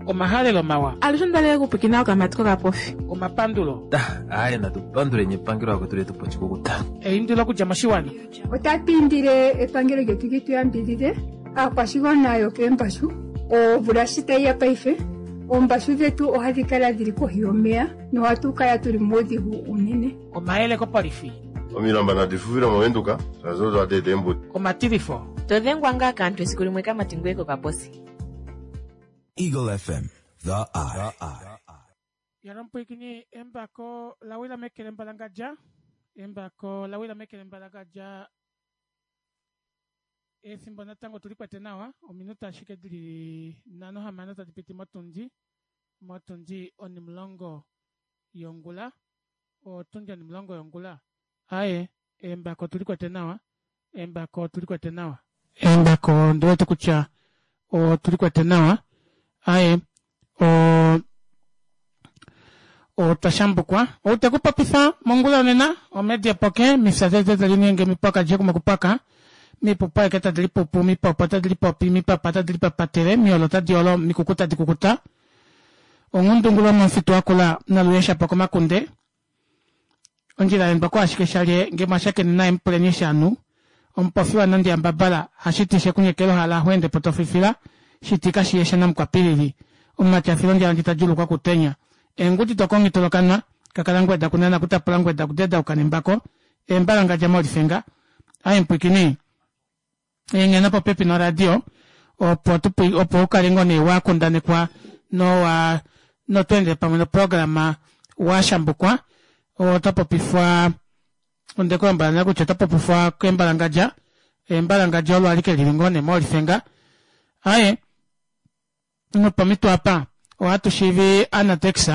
Omahalelo mawa. Alushe onda okupwikina okamati kokapofi. Omapandulo. Aaye natu panduleni epangelo akwetu letu pochikukuta. Eindilo okudja moshiwana. Otatu indile epangelo lyetu li tu yambidhidhe aakwashigwana yokeembashu. Omvula shi tayi ya paife, oombashu dhetu ohadhi kala dhili kohi yomeya nohatu kala tuli muudhigu uunene. Omayele kopolifi. Omilamba nadi fufile moVenduka, shaashi odo hadi eta eembuto. Omatilifo. To dhengwa ngaa kaantu esiku limwe kamati ngoye kokaposi. Eagle FM, the eye. Yalompwikini embako la wila meke lembalangadja embako la wila meke lembalangadja efimbo natango tuli kwete nawa ominute ashike dili 56 tadi piti motundi motundi onimulongo yongula otundi onimulongo yongula aye embako tuli kwete nawa embako otuli kwete nawa embako ondi wete kutya otuli kwete nawa aye o otwa shambukwa ou te ku popitha mongula yonena omedia poke mifya tete tali ninge mipoka dje kumokupaka mipupu aeke tadi lipupu mipopo tadi lipopi mipapa tadi lipapatele miolo tadi olo mikuku tadi kukuta onghundungu lomomufitu wakula naluyeshapo komakunde Ondjila yendwa ko ashike shalye nge mwa shakene naye mu puleni eshi a nu. Omupofi wa nandi yambabala hashiti she ku nyekela ohala ho ende po to fifila, shiti kashi ye shanamukwapilili. Omumati a fila ondjala ndji ta djuulukwa okutenya. Eengudi dokonghi tolokanwa, kakala ngweda kunana kutapula ngweda kudedauka nembako, eembalangadja molifenga. Aye mpwikini. Enghena popepi noradio opo tu opo u kale ngoo nee wa kundanekwa nowa noto endele pamwe noprograma wa shambukwa oto popifwa onde ku lombwela nale kutya oto popifwa kembalangadja embalangadja olo alike lili ngoo nee molifenga aye Nopomhito apa, ohatu shiivi Anatex,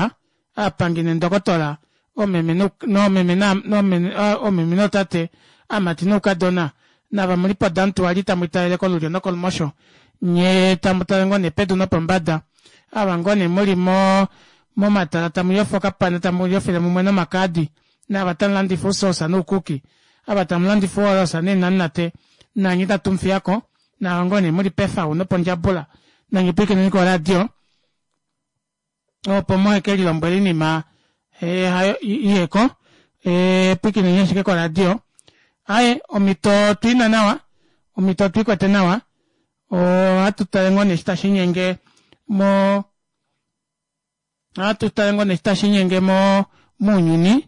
aapangi nendokotola, oomeme noomeme noomeme nootate, aamati noukadona, nava mu li podamutuwali tamu italele kolulyo nokolumosho, nye tamu tale ngoo nee pedu nopombada, ava ngoo nee mu li mo momatala tamu yofa okapana tamu yofele mumwe nomakaadi, naava tamu landifa ousoosa noukuki, ava tamu landifa ouolosa neenamunate, nanye itatu mu fiya ko, Nawa ngoo nee muli pefau nopondjabula nanye pwiikineni koradio opo muhe ke lilombwele iinima eh, hayo iheko eh, pwiikineni ashike koradio aye omhito otwiina nawa omhito otwiikwete nawa ohatu tale ngoo nee eshi tashi inyenge mo Ohatu tale ngoo nee eshi tashi inyenge mo mounyuni,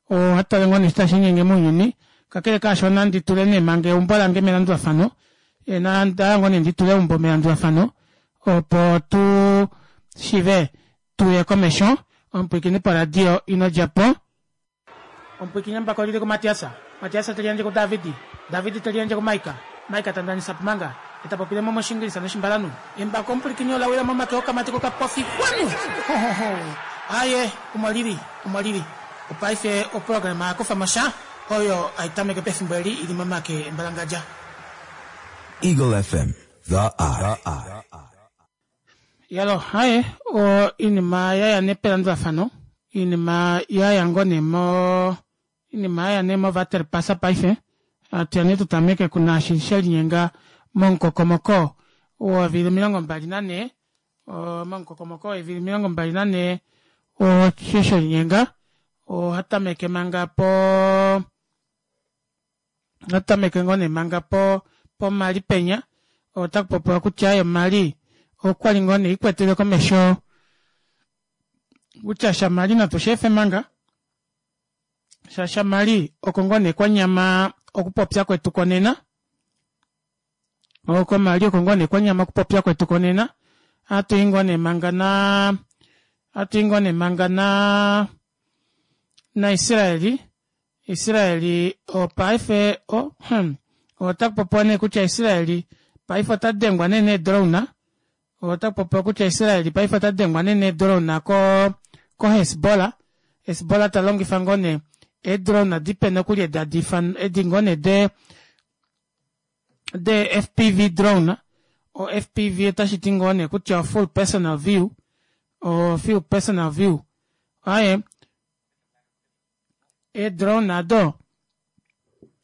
ohatu tale ngoo nee eshi tashi inyenge mounyuni. Kakele kaasho nandi tule nee manga eumbo lange melandulafano, onda hala ngoo nee ndi tule eumbo melandulafano opo tu shive tuye komesho. Omupwiikini poradio ino dja po. Omupwiikini embako oli li kuMatias, Matias te liyandje kuDavid, David te liyandje kuMaika, Maika ta ndanisa pumanga, e ta popile mo mOshiingilisa nOshimbalanhu. Embako omupwilikini ola wila momake okamati kokapofi. Kwanu! Ho, ho, ho! Aaye, omo li li, omo li li. Opaife oprograma ya kufa mo sha, oyo hai tameke pefimbo eli i li momake embalangadja. Eagle FM, the eye. Yalo, haye, o, iinima ya ya nee pelandulafano, iinima ya ya ngoo nee mo, iinima ya ya nee movaterpasa paife, hatu ya nee tu tameke kunaashi she linyenga momukokomoko wovili 24, momukokomoko weevili 24 osho she linyenga, ohatu tameke manga po, Ohatu tameke ngoo nee manga po poMali penya ota kupopiwa kutya ye Mali okwali ngoo nee ikwetele komesho kutya shaMali natu shi efe manga sha shaMali oko ngoo nee kwanyama okupopya kwetu konena oko Mali oko ngoo nee kwanyama okupopya kwetu konena ohatu i ngoo nee manga na ohatu i ngoo nee manga na naIsraeli Israeli paife o hmm, ota kupopiwa nee kutya Israeli paife ota dengwa nee needrone ota kupopiwa kutya Israeli paife ota dengwa nee needrone ko ko Hezbollah Hezbollah ta longifa ngoo nee eedrone dipe nokuli edi hadi ifan edi ngoo nee de de FPV drone o FPV otashi ti ngoo nee kutya full personal view o full personal view aye Eedrone ado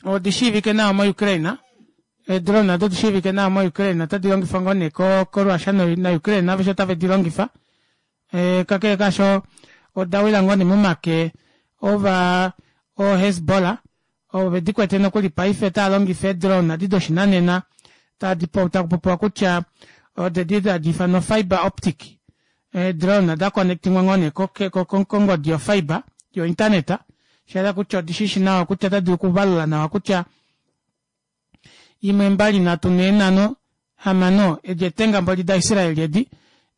odi shiivike nawa moUkraine. Eedrone ado odi shiivike nawa moUkraine otadi longifwa ngoo nee koRussia naUkraine aveshe otave di longifa. Kakele kaasho oda wila ngoo nee momake ova ooHezbollah ovo vedi kwete nokuli paife otava longifa eedrone adi doshinanena tadi taku popiwa kutya odedi tadi ifanwa fiber optic eedrone da connectingwa ngoo nee kongodi yofiber yointernet shayela kutya odishishi nawa kutya otadi dulu okuvalula nawa kutya 1 2 3 4 5 edi etenga mboli daIsrael edi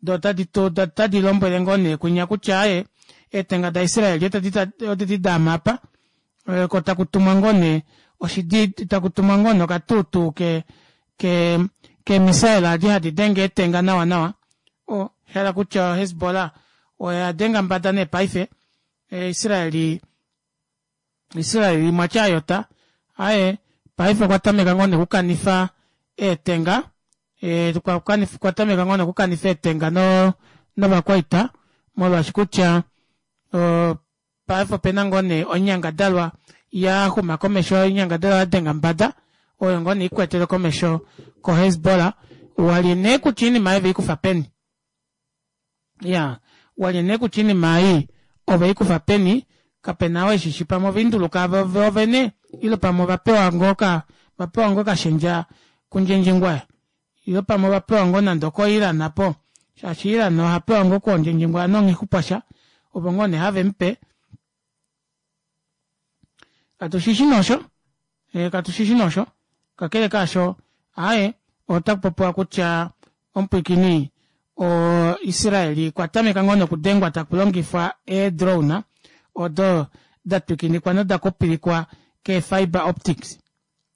do otadi otadi lombwele ngoo nee kwinya kutya aye eetenga daIsrael odedi daama apa ko taku tumwa ngoo nee oshidi taku tumwa ngoo nee okatuutuu ke ke keemisaela adi hadi denge eetenga nawa nawa o hala kutya Hezbollah oya denga mbada nee paife Israeli Israeli mwatya ayota aye paife okwa tameka ngoo nee okukanifa eetenga okwa tameka ngoo nee okukanifa eetenga novakwaita molwaashi kutya paife opena ngoo nee oinyangadalwa ya xuma komesho oinyangadalwa ya denga mbada oyo ngoo nee ikwetele komesho koHezbollah walye nee kutya oinima ei veikufa peni ya walye nee kutya oinima ei oveikufa peni kapena oo eshishi pamwe oveinduluka voovene ile pamwe ovapewa ngoo ka vapewa ngoo kashendja kundjendjengwaya ile pamwe ovapewa ngoo nande okoIran apo shaashi Iran oha pewa ngoo koondjendjengwaya nonghixupwasha ovo ngoo nee have mupe katushishi nosho katushishi nosho kakele kaasho aaye otaku popiwa kutya omupwiikini oIsraeli kwa tameka ngoo nokudengwa taku longifwa eedrone odo da twikinikwa noda kupilikwa keefiber optics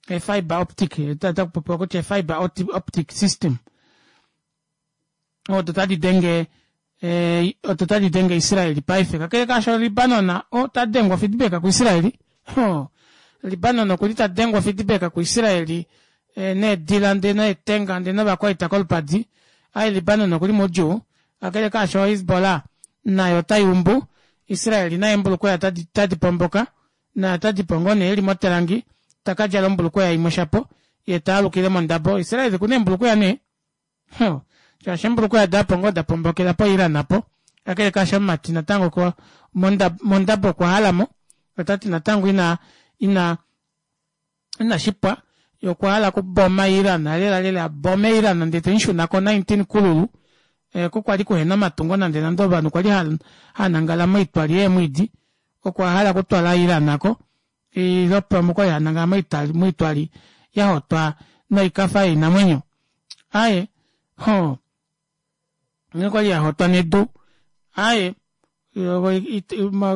eefiber optic taku popiwa kutya eefiber optic system odo tadi denge odo tadi denge Israeli paife kakele kaasho Libanon ota dengwa feedback kuIsraeli Libanon okuli ta dengwa feedback kuIsraeli needila ndee neetenga ndee novakwaita kolupadi ai Libanon okuli moudjuu kakele kaasho Hezbollah nayo otai umbu Israeli naye embulukweya tadi pomboka naye otadi po ngoo nee eli motelangi takadjala ombulukweya imwe shapo ye taalukile mondabo Israeli okuna eembulukweya nee shaashi eembulukweya daapo ngoo da pombokela po Iran apo kakele kaasho omumati natango mondabo okwa halamo otati natango ina ina ina shipwa ye okwa hala okuboma Iran lela lela abome Iran ndee temushuna ko 19 kululu oko kwali kuhena omatungo nande nande ovanhu kwali hanangala moitwali yeemwiidi okwa hala okutwala Iran ako ile pamwe okwali hanangala moitwali yahotwa noikafa yoinamwenyo aye ho okwali yahotwa nedu aye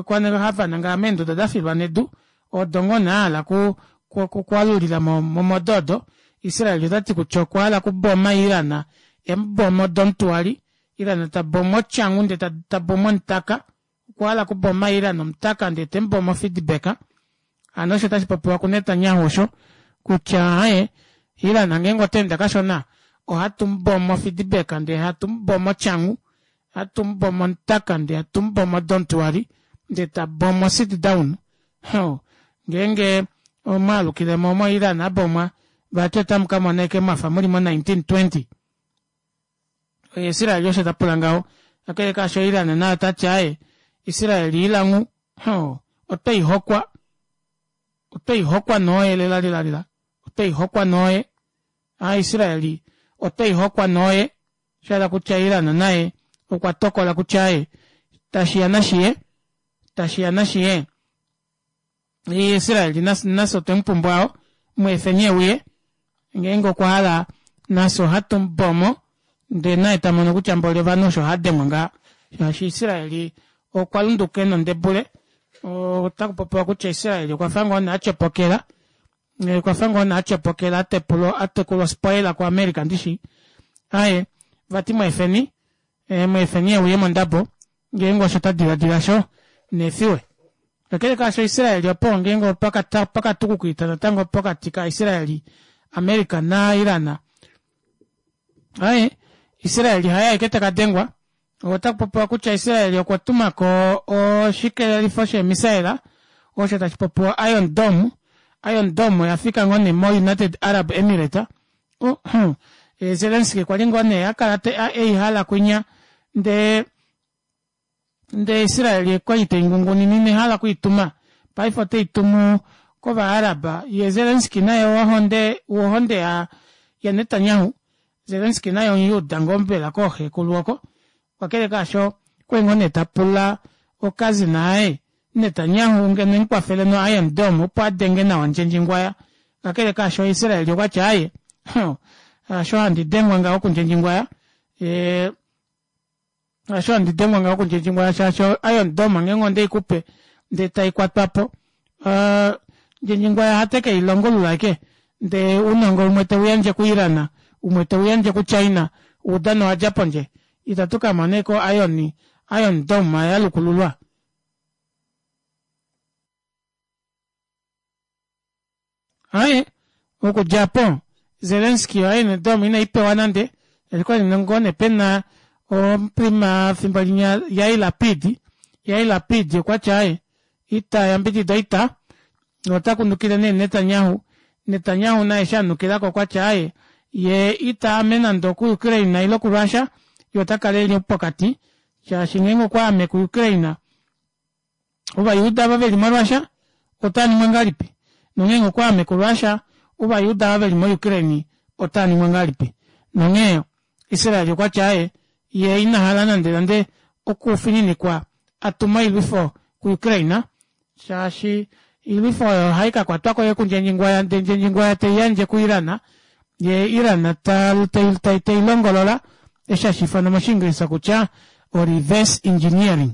kwali hava meenduda dafilwa nedu odo ngoo nee ahala kwalulila momodo odo Israel otati kutya okwa hala okuboma Iran emuboma odomutwali Iran taboma otyangu ndee taboma omutaka okwa hala okuboma Iran omutaka ndee temuboma ofeedback hano osho tashi popiwa kuNetanyahu osho kutya aye Iran ngeenge otaende kashona ohatu mubomo feedback ndee hatu mubomo otyangu hatu mubomo omutaka ndee hatu mubomo odomutwali ndee tabomo sit down ngeenge omwaalukilemo mo Iran abomwa vati otamu kamona ashike mwafa muli mo 1920 Israel osho tapula ngaho kakele kaasho Iran naye otati aaye Israel ilangu otweihokwa otweihokwa nooye lela lela lela otweihokwa nooye a Israeli otweihokwa nooye shahala kutya Iran naye okwa tokola kutya aye tashiya nashiye tashiya nashiye Israeli nafye otwe mupumbwa mweefeni euye ngeenge okwa hala nafye ohatu mubomo ndee naye tamono kutya mboli ovanhu osho hadengwa ngaha shaashi Israeli okwa lunduka ena ondebule otaku popiwa kutya Israeli okwa fa ngoo nee atyopokela okwa fa ngoo nee atyopokela atekulwa spoiler kuAmerica ndishi aye vati mweefeni mweefeni euye mondabo ngeenge osho ta diladila sho neefiwe kakele kaasho Israeli opo ngeenge opakatukukita natango pokati kaIsraeli America naIran aye Israeli haye aeke takadengwa otaku popiwa kutya Israeli okwa tumako oshikelelifo sheemisaela osho tashi popiwa Iron Dome Iron Dome oya fika ngoo nee mo United Arab Emirates Zelensky kwali ngoo nee akala eihala kwinya ndee. Ndee Israel okwali teingungunine inehala okwiituma paife oteitumu kova Arab ye Zelensky naye wohonde wohonde ya ya Netanyahu Zelensky naye omuyuda ngoo mbela kooxekulu oko kakele kaasho okwali ngoo nee tapula okazina aye Netanyahu ngeno emukwafele no Iron Dome opo adenge nawa Ndjendjingwaya kakele kaasho Israel okwati aaye hasho handi dengwa ngaho kuNdjendjingwaya yee hasho handi dengwa ngaho kuNdjendjingwaya shaashi Iron Dome ngeenge ondeikupe ndee taikwatwapo Ndjendjingwaya ohate keilongulula ashike ndee ounongo umwe teuyandje ku Iran umwe teuyandje ku China oudano owadja pondje itatu kamona ashike o Iron Iron Dome yalukululwa. Aaye, okudja opo Zelensky oIron Dome inai pewa nande, okwali ngoo nee pena omuprima fimbo linya Yair Lapid, Yair Lapid okwati aaye ita yambidida oita, ota kunukile nee Netanyahu, Netanyahu naye eshi anukilako okwati aaye yee ita ame nande oku Ukraine ile ku Russia, yee ota kala eli pokati shaashi ngeenge okwa ame ku Ukraine Ovajuda ava veli moRussia otava ningwa ngahelipi? Nongeenge okwaame kuRussia, Ovajuda ava veli moUkraine otava ningwa ngahelipi? Nonghee Israel okwa tya aye, ye ina hala nandenande okufininikwa a tume oilwifo kuUkraine, shaashi oilwifo oyo ohai ka kwatwa ko kundjendjingwaya ndee ndjendjingwaya tei yandje kuIran, ye Iran tei longolola, eshi hashi ifanwa mOshiingilisa kutya o-reverse engineering.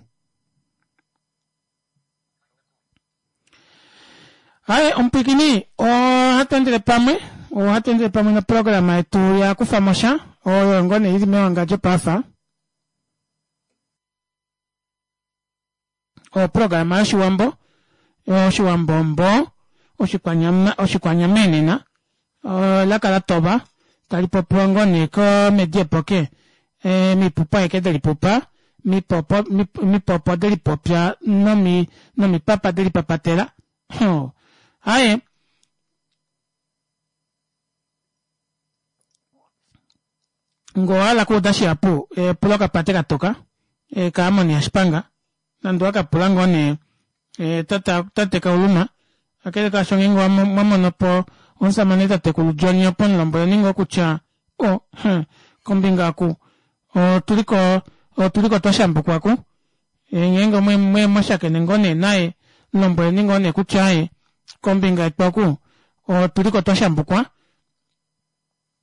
Aye omupwikini ohatu endele pamwe ohatu endele pamwe noprograma yetu ya kufa mo sha oyo ngoo nee ili mewangadjo paafa oprograma yoshiwambo oshiwambo mbo oshikwanyama oshikwanyamenena elaka la toba tali popiwa ngoo nee komedi epoke mipupu aeke delipupa mipopo mipopo delipopya nomi nomipapa delipapatela aaye ngee owahala okuuda shihapu pula okapate katoka kaAmon yaShipanga Nande owa ka pula ngoo nee tate Kauluma, kakele kaasho ngeenge mwa mono po omusamane tatekulu John opo mu lombweleni ngoo kutya o huh, kombinga oku otuliko otuliko twa shambukwa ku. Ngeenge mwe mwa shakene ngoo nee naye mu lombweleni ngoo nee kutya aaye kombinga yetu oku otuliko twa shambukwa.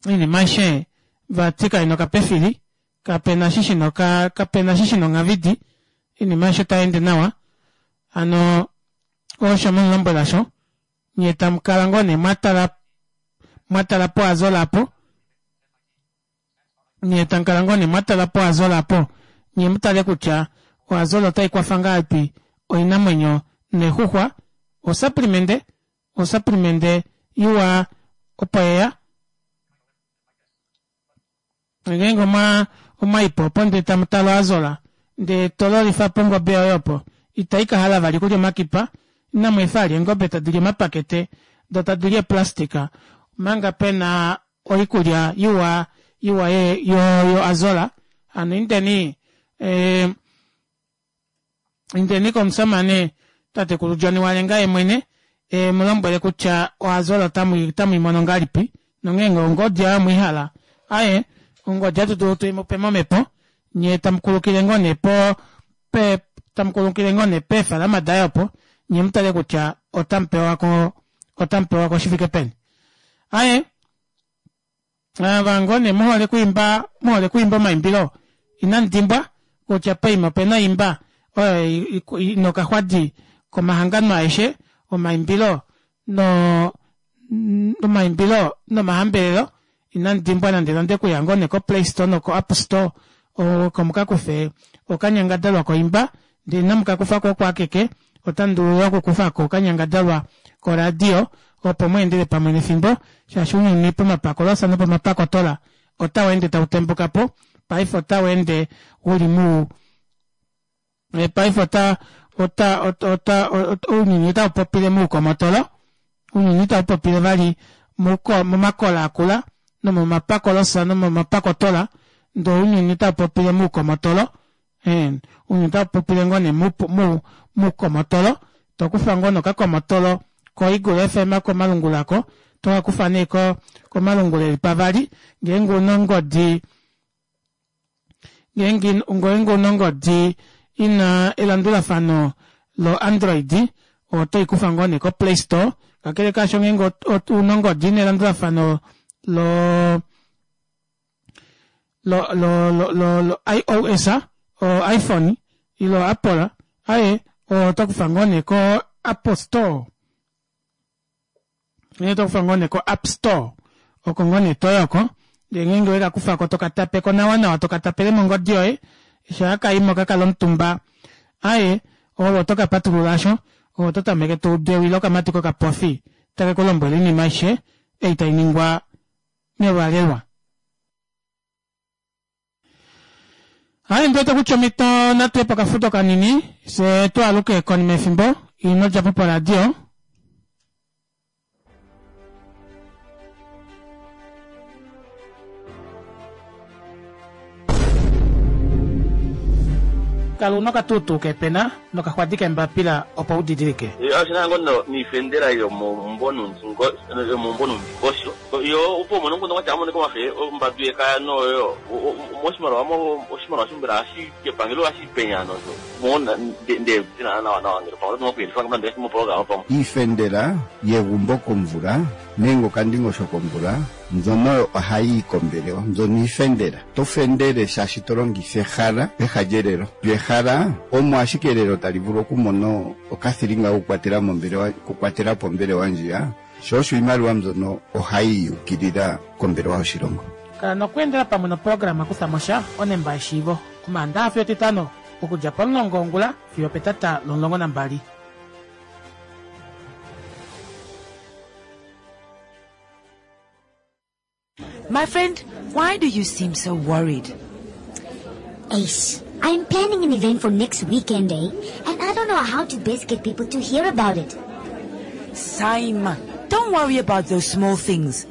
Oinima aishe vati kai na okapefili, kape na eshi shina oka, kape na eshi shina onghavidi, oinima aishe otai ende nawa. Hano osho mu lombwela sho, nye tamu kala ngoo nee mwa tala, mwa tala poAzola apo, nye tamu kala ngoo nee mwa tala poAzola apo, nye mu tale kutya oAzola otai kwafa ngahelipi oinamwenyo neexuxwa, osuplimende Osaplimente iwa opo yeya. Ngeenge omwa omwa i po opo ndele tamu tale oazola ndee to lolifa po ongobe yoye opo, itai ka hala vali okulya omakipa. Inamu efa vali eengobe tadi li omapakete do tadi li eeplastika omanga pe na oikulya iwa iwa ye yo yo azola. Hano indeni ee Indeni komusamane tatekulu John Walenga ye mwene e mu lombwele kutya oAzola otamu i mono ngahelipi nongeenge ongodi oyo mwe i hala. Aye, ongodi ohatu dulu tu i mu pe momhepo nye tamu kulukile ngoo nee po pe tamu kulukile ngoo nee peefalama daye opo nye mu tale kutya otamu pewa ko otamu pewa ko shi fike peni. Aye, Ava ngoo nee muhole kwiimba muhole kwiimba omaimbilo inamu dimbwa kutya poima opena oimba oyo ina okaxwadi komahangano aeshe omaimbilo no omaimbilo nomahambelelo inamu dimbwa nande nande okuya ngoo nee ko play store noko app store oko mukakufe okanyangadalwa koimba Ndele inamu ka kufa ko oko akeke, otamu dulu yo okukufa ko okanyangadalwa koradio opo mu endele pamwe nefimbo, shaashi ounyuni pomapakolosa nopomapakotola otau ende tau tembuka po. Paife otau ende u li mu paife ota ota ota ounyuni otau popile muukomotolo, ounyuni itau popile vali momakola akula nomomapakolosa nomomapakotola, ndele ounyuni otau popile muukomotolo. Ounyuni otau popile ngoo nee muukomotolo, to kufa ngoo nee okakomotolo koEagle FM komalungula ko, to ka kufa nee komalungula eli pavali, ngeenge una ongodi ngeenge una ongodi ina elandulafano lo Android oto ikufa ngoo nee ko play store kakele kaasho ngeenge una ongodi ina elandulafano lo lo lo lo lo, lo iOS o iPhone ile Apple aye oto kufa ngoo nee ko Apple Store Nghee to kufa ngoo nee ko App Store oko ngoo nee toyi oko ndee ngeenge weka kufako toka tapeko nawa nawa toka tapele mongodi yoye eshi haka imo kakala omutumba aye ove otoka patulula asho ove oto tameke to udu ewi lokamati kokapofi take ku lombwele oinima aishe ei tai ningwa melwalelwa. Aye ndi wete kutya omhito natu ye pokafudo kanini fye tu aluke konima yefimbo ino dja po poradio. Kala una okatuutuu keepena nokaxwadi keembapila opo u didilike. Oshi na ngo niifendela yomomumvo nuundingosho Yo opo umone omukundu gwatya amonike omafe ombandu yekaya noyo moshimaliwa mo oshimaliwa sho mbela ohashi kepangelo ohashi penya nosho mo nde dina nawa nawa ngele pamwe oto okuyelifa nande mo programa pamwe. Iifendela yegumbo komvula nenge okandingosho komvula mbyono oyo ohayi yi kombelewa. Mbyono iifendela. To fendele shaashi to longitha ehala peha lyelelo. Lyo ehala omo ashike elelo tali vulu okumona okathilinga kokukwatela mombelewa, okukwatela po ombelewa ndjiya. Sho osho iimaliwa mbyono ohayi yi ukilila kombelewa yoshilongo. Kala nokweendela pamwe noprograma Kutha mo sha, Onemba yeshiivo, Omaandaha fiyo Etitano, okudja pomulongo wongula fiyo opetata lomulongo nambali. My friend, why do you seem so worried? Ace, I'm planning an event for next weekend, eh? And I don't know how to best get people to hear about it. Saima, don't worry about those small things.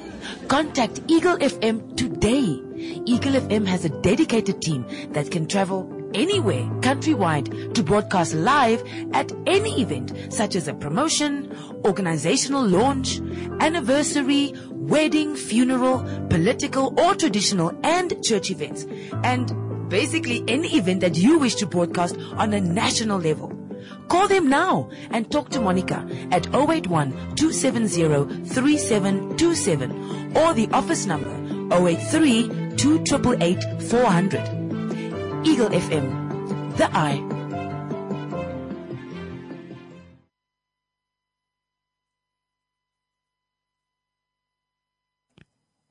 Contact Eagle FM today. Eagle FM has a dedicated team that can travel anywhere countrywide to broadcast live at any event such as a promotion, organizational launch, anniversary, wedding, funeral, political or traditional and church events. And basically any event that you wish to broadcast on a national level. Call them now and talk to Monica at 081 270 3727 or the office number 083 2888 400. Eagle FM, the eye.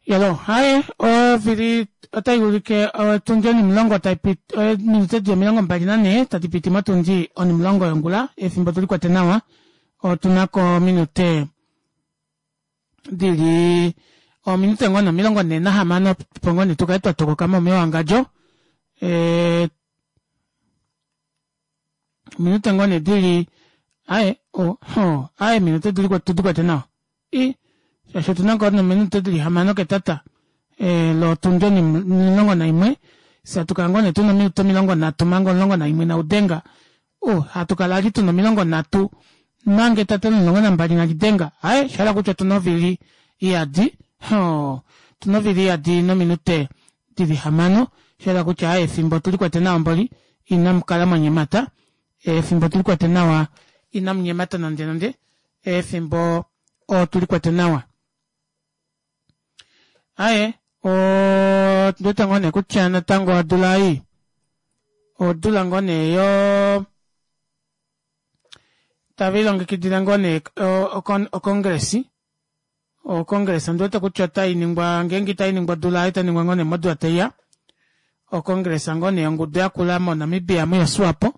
Yalo, haye, ovili otai ulike otundi onimulongo tai piti, ominute di 24 tadi piti motundi onimulongo yongula, efimbo tuli kwate nawa, otu na ko ominute dili ominute ngoo 46 opo ngoo nee tu kale twa tokoka mo mewangadjo. E, ominute ngoo nee dili aye, oh, oh, aye, minute dili tudi kwate nawa. I, shaashi otu na ngoo nominute dili hamano ketata e, lotundi 11, fye hatu kala ngoo nee tuna ominute 30 manga 11 naudenga. O, hatu kala ali tuna 30 manga etata lomulongo nambali nalidenga. Aye, sha hala kutya otuna ovili iyadi, ho, otuna ovili iyadi nominute dili hamano, sha hala kutya aye efimbo otuli kwete nawa mboli, inamu kala mwa nyemata, efimbo otuli kwete nawa, inamu nyemata nande nande, efimbo otuli kwete nawa. Aye, ondi wete ngoo nee kutya natango odula ei, odula ngoo nee yo tave lilongekidile ngoo nee okongresi. Okongresa ondi wete kutya otai ningwa ngeenge itai ningwa odula ei, otai ningwa ngoo nee modula tai ya. Okongresa ngoo nee yongudu yakula moNamibia muyoSwapo.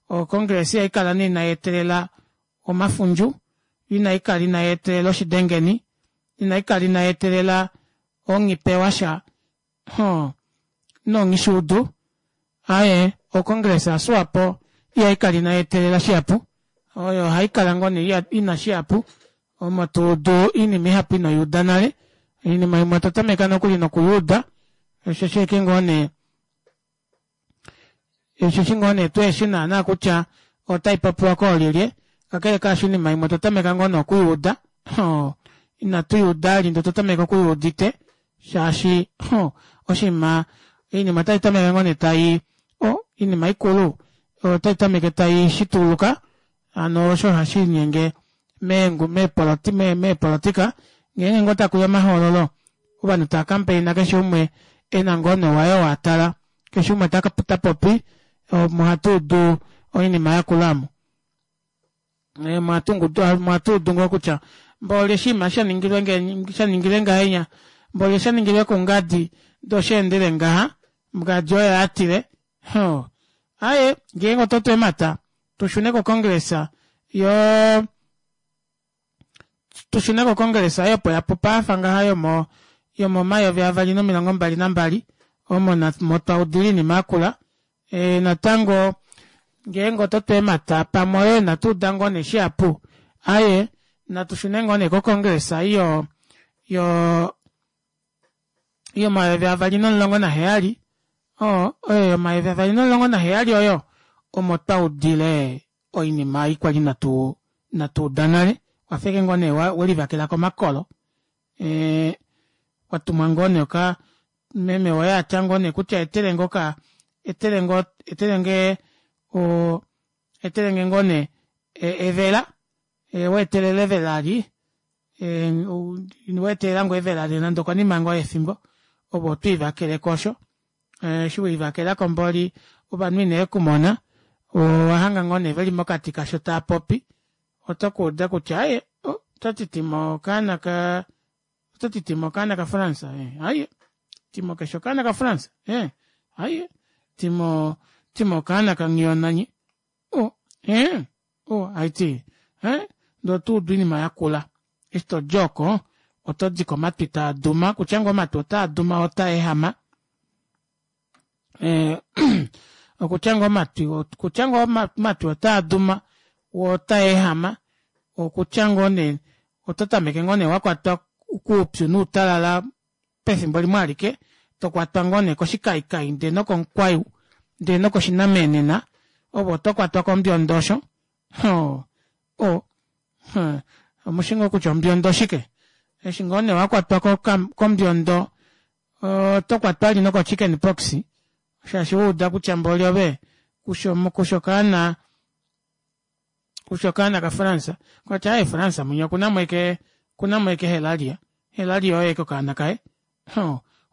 Okongresa ihai kala nee inai etelela omafundju, inai kala inai etelela oshidengeni, inai kala inai etelela onghipe washa, nonghishuudu. Aye, okongresa yaSwapo ihai kala inai etelela shihapu. Oyo ohai kala ngoo nee ina shihapu, omo to udu oinima ihapu ino i uda nale. Oinima imwe to tameka nokuli nokuyuuda, osheshi ashike ngoo nee. Osheshi ngoo nee tuheshi naana kutya otaipopiwa koolyelye, kakele kaasho oinima imwe otwa tameka ngoo nee okuyuuda, inatu yuuda vali ndee otwa tameka okuyuudite shaashi oshinima oinima otai tameke ngoo nee tai oinima ikulu otai tameke tai shituluka hano osho hashiinyenge meepolotika ngeenge ngoo takuya omahoololo ovanhu tava kampeina keshe umwe ena ngoo nee waye oo atala keshe umwe tapopi omo hatuudu oinima yakula aamo omo hatuudu ngoo kutya mboli oshinima shaningilwe ngahenya mboli oshaningilwe kungadi ndee oshaendele ngaha ngadi oye atile hoo aaye ngeenge ototu eemata tushune ko congress yoo tushune ko congress ei opo yapupa yafa ngaha yomo yomomayovi avali nomilongo mbali nambali omo twaudile oinima yakula natango ngeenge ototu eemata pamwe oyo inatuuda ngoo nee shihapu aaye natu shune ngoo nee ko congress ei yo yo yomayovi avali nomulongo naheyali oo oyo yomayovi avali nomulongo naheyali oyo omo twaudile oinima ei kwali inatu inatu uda nale wafa ashike ngoo nee welivakela komakolo watumwa ngoo nee oka meme woye atya ngoo nee kutya etelenge oka etelenge etelenge o etelenge ngoo nee evela weetelela evela eli weetelela ngoo evela nande okonima ngoo yefimbo ove otwiivakeleko osho eshi welivakelako mboli ovanhu inevekumona owahanga ngoo nee veli mokati kasho taapopi otokuuda kutya aaye otati timo okaana ka otati timo okaana ka france aaye timo keshi okaana ka france aaye timo timo okaana ka nghiyonanye o o haiti ndee otuudu oinima yakula eshi todi oko otodiko omatwi taaduma kutya ngoo omatwi otaaduma otaehama okutya ngoo omatwi okutya ngoo omatwi otaaduma woo otaehama okutya ngoo nee oto tameke ngoo nee wakwatwa koupyu noutalala pefimbo limwe alike tokwatwa ngoo nee koshikaikai ndee nokomukwayu ndee nokoshinamenena ove otokwatwa kombiondo osho o o omushi ngoo kutya ombiondo oshike eshi ngoo nee wakwatwa kombiondo oto kwatwa vali noko chicken pox shaashi wauda kutya mboli ove kushi okaana kushi okaana ka france kwati aaye france mwinya okunamo ashike okunamo ashike helalia helalia oye ashike okaana kaye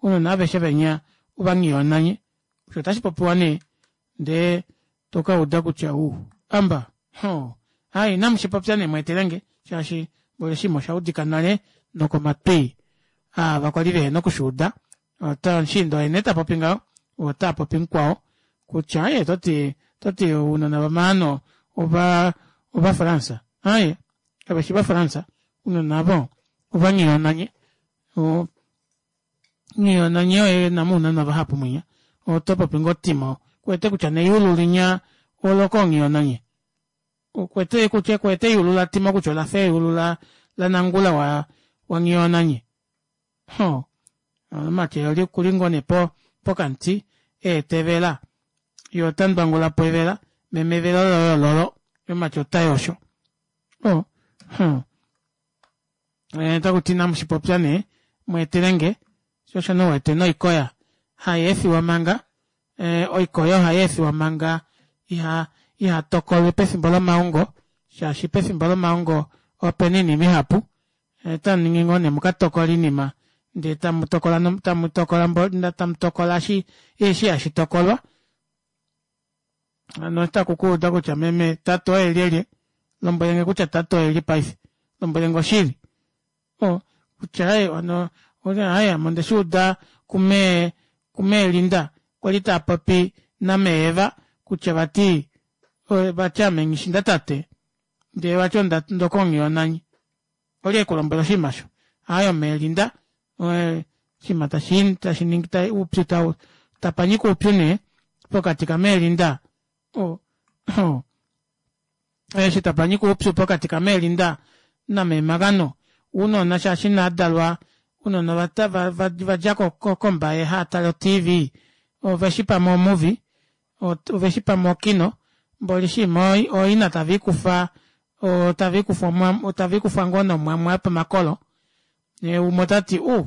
ounona aveshe venya ovanghiyonanye osho otashipopiwa nee ndee tokauda kutya u amba aaye inamushipopya nee mweetelenge shaashi mboli oshinima oshaudika nale nokomatwi aava kwali vehena okushuuda omushiinda oye nee tapopi ngaho oo otapopi mukwao kutya aaye ototi ototi ounona vamaano ova ova france aaye kaveshi va france ounona aavo ovanghiyonanye nghiyonanye oye enamo ounona vahapu mwinya otopopi ngoo timo kuwete kutya neyulu linya olokonghiyonanye okuwete kutya kuwete eyulu latimo kutya olafa eyulu la lanangula wa wanghiyonanye ho omake oli kuli ngoo nee po pokamuti eetevela ye ota ndwangulapo evela meme evela loye ololo omake otai osho o otakuti inamushipopya nee mweetelenge sho osho nee uwete noikoya hayeefiwa manga oikoya ohayeefiwa manga iha ihatokolwe pefimbo lomaongo shaashi pefimbo lomaongo opena oinima ihapu otamuningi ngoo nee mukatokole oinima ndee tamutokola tamutokola tamutokola eshi hashi tokolwa hano otaku kuuda kutya meme tate oye lyelye lombwelenge kutya tate oye lye paife lombwelenge oshili o kutya aye ono aye ame ondeshiuda kumee kumee Linda kwali taapopi namee Eva kutya vati vati ame nghishinda tate ndee vati ondokonghiyonanye olye ekulombwela oshinima osho aaye omee Linda oshinima tashi tashi ningi oupyu tau tapanyika oupyu nee pokati kamee Linda o eshi tapanyika oupyu pokati kamee Linda namee Magano ounona shaashi inaadalwa ounona vadja kombaye haatale o tv oveshi pamwe omuvi. Oveshi pamwe okino mboli shima ooina tave ikufa tave ikufa tave ikufa ngoo nomwamwa yopamakolo ye umwe otati u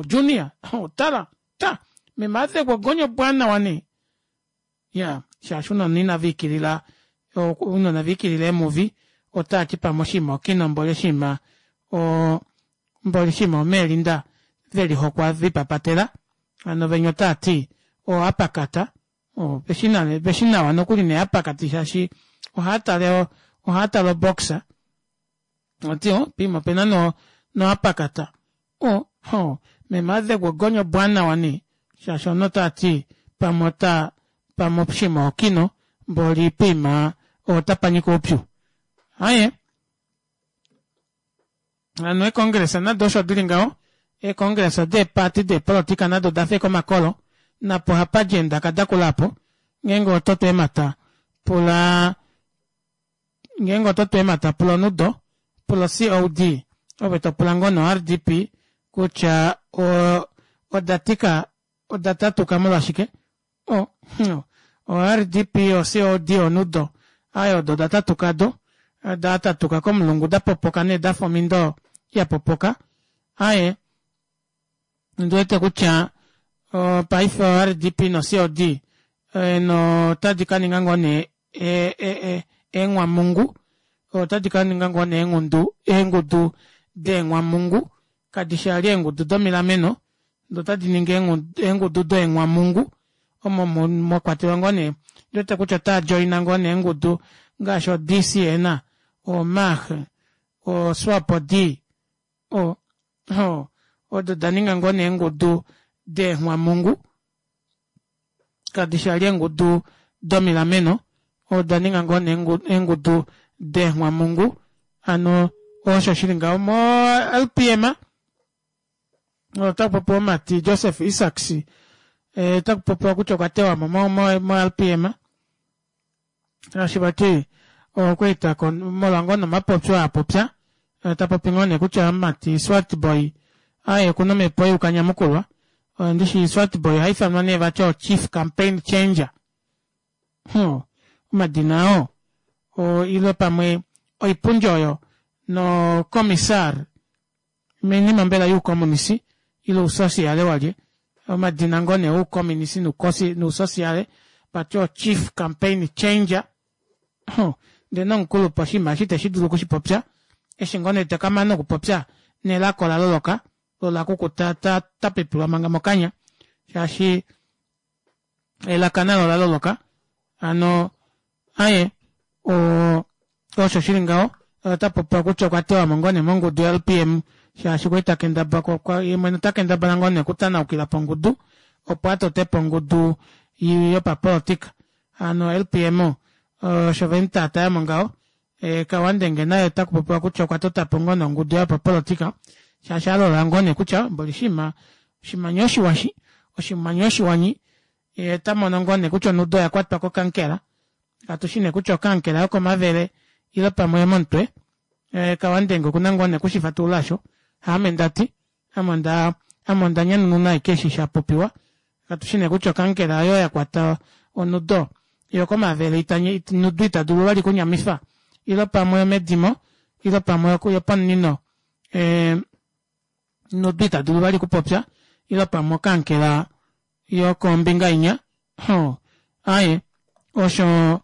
junior tala ta meme adhegwa ogonya obwaanawa nee ya shaashi uunona inava ikilila uunona va ikilila eemuvi otaati pamwe oshinima okino mboli oshinima o mboli oshinima omeelinda velihokwa vipapatela hano venya otaati o apakata o veshi nawa nokuli nee apakati shaashi ohaatale ohaatale oboxa oti o pima opena no no apakata o ho meme adhegwa ogonya obwaanawa nee shaashi omunhu otati pamwe ota pamwe oshinima okino mboli poima otapa nyika oupyu aaye hano eecongressa nado osho dili ngaho eecongressa deeparty deepolitika nado odafa ashike omakolo napo ohapa di eendaka dakula apo ngeenge ototu eemata pula Ngeenge oto tu eemhata pula onudo, pula oCOD ove to pula ngoo noRDP kutya oda tika oda tatuka molwashike? O, oRDP, oCOD, onudo aaye odo oda tatuka do, da tatuka komulungu da popoka nee dafa omindo ya popoka aaye. Ondi wete kutya paife oRDP noCOD otadi ka ninga ngoo nee eenghwamungu otadi ka ninga ngoo nee eengundu eengudu deenghwamungu kadi shi vali eengudu domilameno ndee otadi ningi eengudu deenghwamungu omo mwa kwatelwa ngoo nee ondi wete kutya otaa joina ngoo nee eengudu ngaashi oDCN oMah oSwapo D o odo da ninga ngoo nee eengudu deenghwamungu kadi shi vali eengudu domilameno oda ninga ngoo nee eengudu deenghwamungu hano osho shili ngaho mo LPM otaku popiwa omumati Joseph Isaacs eh, otaku popiwa kutya okwa tewa mo mo LPM shaashi vati okwa eta molwa ngoo nomapopyo a popya eh, ta popi ngoo nee kutya omumati Swartboy aye okuna omhepo youkanyamukulwa ndishi Swartboy oha ifanwa nee vati o chief campaign changer hmm. omadina oo o ile pamwe oipundi oyo no commissar Oinima mbela youkomunisi ile ousosiale walye? Omadina ngoo nee oukomunisi nousosiale vati o chief campaign changer. Huh, ndee nomukulupe oshinima eshi iteshi dulu okushipopya. Eshi ngoo nee taka mane okupopya nelaka ola loloka lo ola kukuta ta, ta pipilwa manga mokanya shaashi elaka nalo ola loloka. Hano aye o osho shili ngaho ota popiwa kutya okwa tewa mo ngoo nee mongudu yoLPM shaashi okwa li ta kendabala ye mwene ota kendabala ngoo nee okutanaukila pongudu opo a tote po ongudu yopapolitika hano LPM osho ve mu taataya mo ngaho e, Kawandenge naye ota kupopiwa kutya okwa tota po ngoo nee ongudu yopapolitika shaashi a lola ngoo nee kutya mboli shima oshimanya oshiwashi oshimanya oshiwanyi ye ta mono ngoo nee kutya onudo oya kwatwa kokankela katu shi nee kutya okankela yokomavele ile pamwe yomomutwe eh, kawandenge okuna ngoo nee kushifatulula osho haame ndati ame onda ame onda nyanununa ashike eshi sha popiwa katu shi nee kutya okankela oyo ya kwata onudo yokomavele ita nudo ita dulu vali kunyamifa ile pamwe yomedimo ile pamwe yopomunino eh, nodo ita dulu vali kupopya ile pamwe okankela yokombinga inya ho aye osho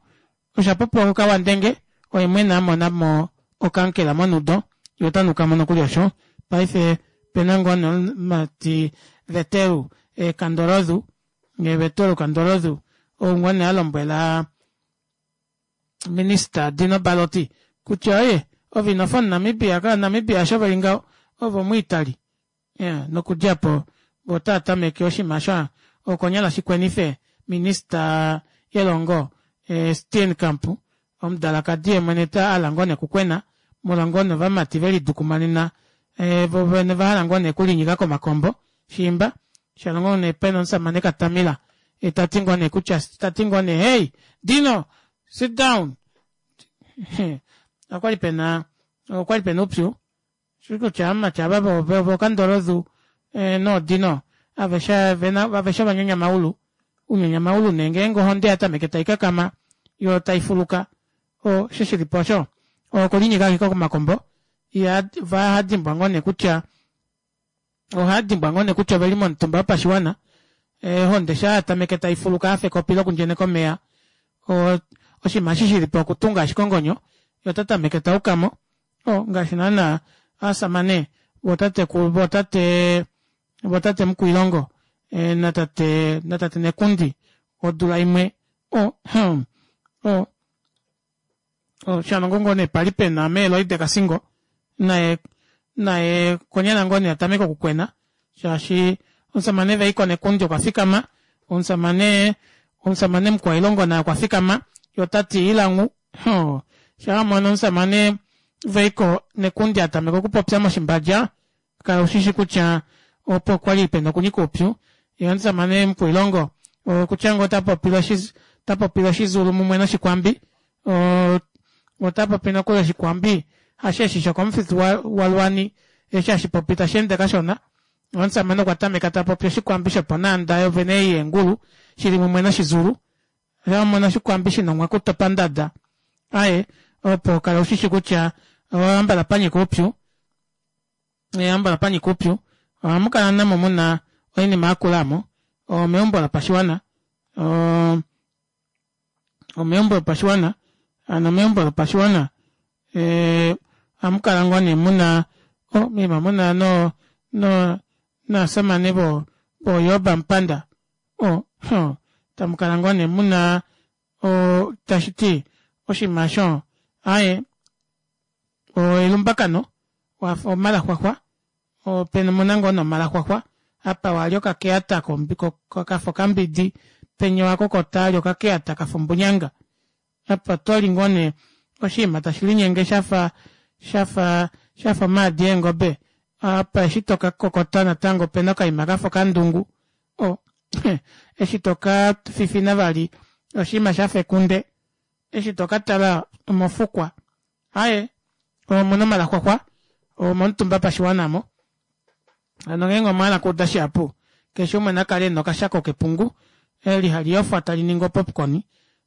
osha popiwa kukawandenge oye mwene a mona mo okankela monudo ye ota nuka mo nokuli osho paife pena ngoo nomumati Veteru e Kandorozu Veteru Kandorozu ou ngoo nee a lombwela Minista Dino Balotti kutya oye ove ino fa omuNamibia ka Namibia osho veli ngaho ove omuItaly yeah, nokudja po ota tameke oshinima sha okonyala shikwenife minista yelongo eh, Steenkamp omudalakadi ye mwene ta ala ngoo nekukwena molwa ngoo novamati ve lidukumanena eh, vo vene va hala ngoo nekulinyika komakombo shiimba sha ngoo nee pena omusamane Katamila e ta ti ngoo nee kutya ta ti ngoo nee hey Dino sit down okwali pena okwali pena upyu shi kutya amati ava vokandorozu eh, noodino aveshe vena aveshe ovanyanyamaulu. Ounyanyamaulu nee ngeenge ohonde ya tameke tai kakama yo tai fuluka o eshi shilipo osho okulinyika ashike komakombo iha va hadimbwa ngoo nee kutya ohadimbwa ngoo nee kutya oveli momutumba wopashiwana ohonde shaa ya tameke tai fuluka yafa ekopi lokundjeneka omeya oshinima eshi shilipo okutunga ashike ongonyo ye ota tameke taukamo o ngaashi naana aasamane vootatekulu vootate vootate Mukwiilongo e, natate natate Nekundi odula imwe o hmm, o o shanongo ngoo nee pali pena meeloide Kasingo naye naye konyala ngoo nee atameke okukwena shaashi omusamane Veiko Nekundi okwa fikama omusamane omusamane Mukwailongo naye okwa fikama ye ota ti ilangu shaa mono omusamane Veiko Nekundi a tameka okupopya moshimbadja kala ushishi kutya opo kwali pena okunyika uupyu ye omusamane Mukwiilongo okutya ngoo ota popile ota popile oshizulu mumwe noshikwambi ota popi nokuli oshikwambi hasheshi shokomufitu walwani eshi hashi popi tashi ende kashona omusamane okwa tameka ta popi oshikwambi shoponaanda yovene ei yeengulu shili mumwe noshizulu Sha mona oshikwambi shina omwakuto pandada aye opo kala ushishi kutya ohambala panyika uupyu ehambala panyika uupyu ohamu kala namo muna oinima yakula mo omeumbo lopashiwana omeumbo lopashiwana ano meumbo lopashiwana ohamu kala ngoo nee muna mima muna no no naasamane vo voyoba mpanda o huh, tamu kala ngoo nee muna o tashi ti oshinima osho aye o elumbakano wafa omalaxwaxwa opena muna ngoo nee omalaxwaxwa apa wali okakeyata kafa okambidi penya wakokota ali okakeyata kafa ombunyanga apa toli ngoo nee oshinima tashi linyenge shafa shafa shafa omaadi eengobe apa eshi toka kokota natango opena okaima kafa okandungu o eshi toka fifina vali oshinima shafa ekunde eshi toka tala omofukwa aye omuna omalaxwaxwa omomutumba pashiwana mo hano ngeenge omwa hala okuuda shihapu keshe umwe nakale ena okashako kepungu eli hali yofwa tali ningi opopcorn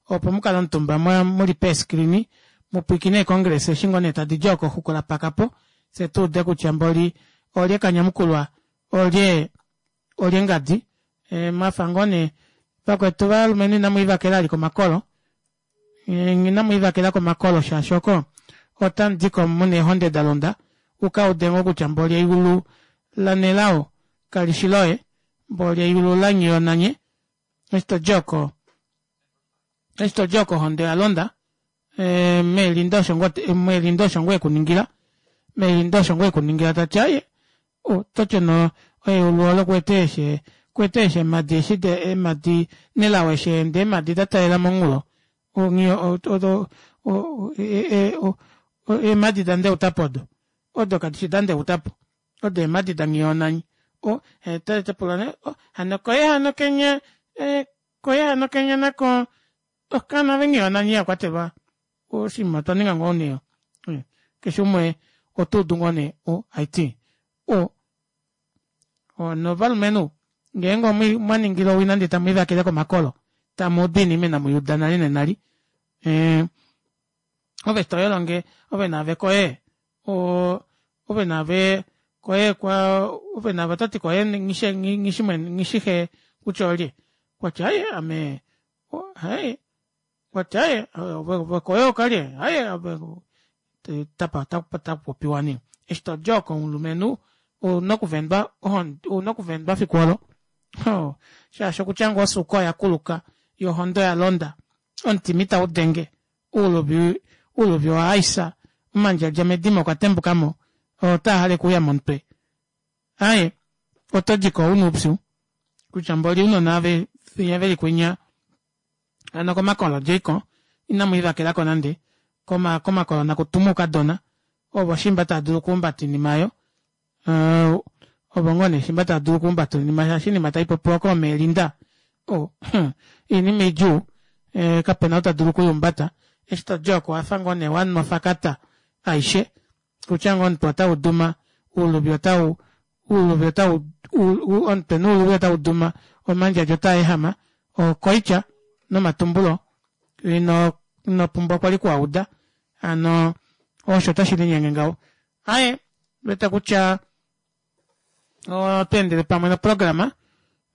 opo mukale omutumba muli peeskrini mupwiikine eecongress eshi ngoo nee tadi dji oko xukula pakapo fye tuude kutya mboli olye kanyamukulwa olye olye ngadi e, mwafa ngoo nee vakwetu valumenhu inamu ivakela ali komakolo Inamu ivakela komakolo shaashi oko otamu di ko mu na eehonde da londa, u ka ude ngoo kutya mboli eyulu laNelao kali shi loye, mboli eyulu laNghiyonanye. Eshi to di oko, eshi to di oko ohonde oya londa. Meelinda osho ngoo, Meelinda osho ngoo e ku ningila. Meelinda osho ngoo e ku ningila ta ti aye, oto ti ono eyulu olo kuwete eshi kuwete eshi eemhadi eshi de eemhadi nelao eshi ende eemhadi da talela monghulo eemhadi da ndeutapo odo odo kadi shi da ndeutapo odo eemhadi da nghiyonanyi o tepula ne hano koye hano kenya koye hano kenya nako okaana venghiyonanyi ya kwatelwa oshinima otwa ninga ngoo nee keshe umwe oto udu ngoo nee o haiti o novalumenhu ngeenge omwa ningile owina ndee tamu ivakele komakolo tamu udu oinima inamu uda nale nenali eh, ove toyolo nge ove naave koye o ove naave koye kwa ove naave otati koye ngishe ngishi ngishihe kutya olye kwatya aye ame haye Kwati aye ove koye okalye aye ove tapa ta popiwa nee eshi to di oko omulumenhu ouna okuvendwa ouna okuvendwa fiku olo shaashi okutya ngoo osuuka oya kuluka yo ohonde oya londa omutima itau denge uuluvi uuluvi owa aisa omandjadja medimo okwa tembukamo otaa hale okuuya momutwe aye oto diko una oupyu kutya mboli ounona venya veli kwinya Hano komakolo Jakob inamu ivakela ko nande, koma komakolo naku tuma oukadona, ovo shimba tava dulu okuhumbata oinima oyo. Uh, ovo ngoo nee shimba tava dulu okuhumbata oinima shaashi oinima tai popiwa koomeelinda oh, oinima idjuu eh, kapena ou ta dulu okuihumbata eshi to di oko wafa ngoo nee wanwa fakata aishe kutya ngoo omutwe otau duma uuluvi otau uuluvi otau omutwe nuuluvi otau duma omandjadja otaa ehama. Okoitya nomatumbulo ino ino pumbwa kwali kuauda hano osho tashi linyenge ngaho aye wete kutya otweendele pamwe noprograma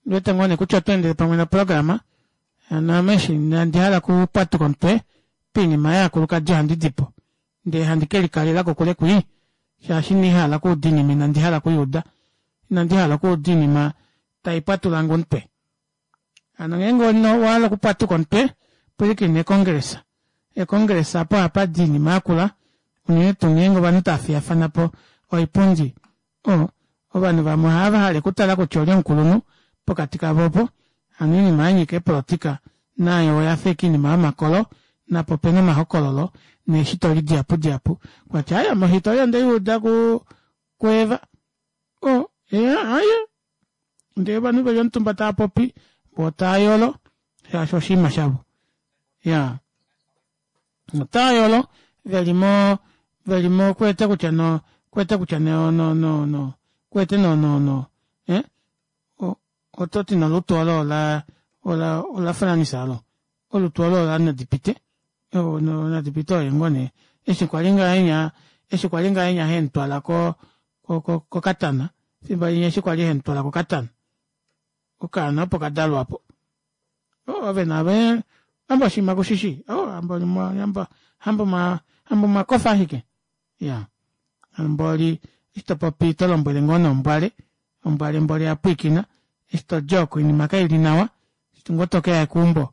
wete ngoo nee kutya otweendele pamwe noprograma hano ame eshi inandi hala kupwatuka omutwe poinima yaakulukadi ohandi dipo ndee handi ke likalela kokule kwii shaashi inandi hala okuuda oinima inandi hala okuyuuda inandi hala okuuda oinima tai pwatulange omutwe Hano ngeenge owa hala okupwatuka omutwe, pwilikina ekongresa. Ekongresa apo ohapa di oinima yakula, unene tuu ngeenge ovanhu tava fiyafana po oipundi. O, ovanhu vamwe ohava hala okutala kutya olye omukulunhu pokati kavo opo. Hano oinima ya nyika eepolotika nayo oya fa ashike oinima yomakolo, napo ope na omahokololo neeshitoli dihapudihapu. Kwa tya, Aya, mohitoli onde i uda ku, kuEva. O, eya, aya. Ndee ovanhu veli omutumba tava popi vo tava yolo shaashi oshinima shavo. Ya. Otava yolo veli mo veli mo kuwete kutya no kuwete kutya no no no no kuwete no no no eh o oto ti nolutu olo ola ola ola Franisa olo olutu olo ola Nadipite o no Nadipite oye ngoo nee eshi kwali ngahenya eshi kwali ngahenya hemutwala ko kokatana fimbo linya eshi kwali hemutwala kokatana okaana opo kadalwa po oh, ove nave amba oshinima kushishi oh, ambo amba amba amba mwakofa ashike ya mboli eshi to popi to lombwele ngoo nombwale ombwale mboli ya pwiikina eshi to jok oinima kaili nawa eshi ngoo tokeya keumbo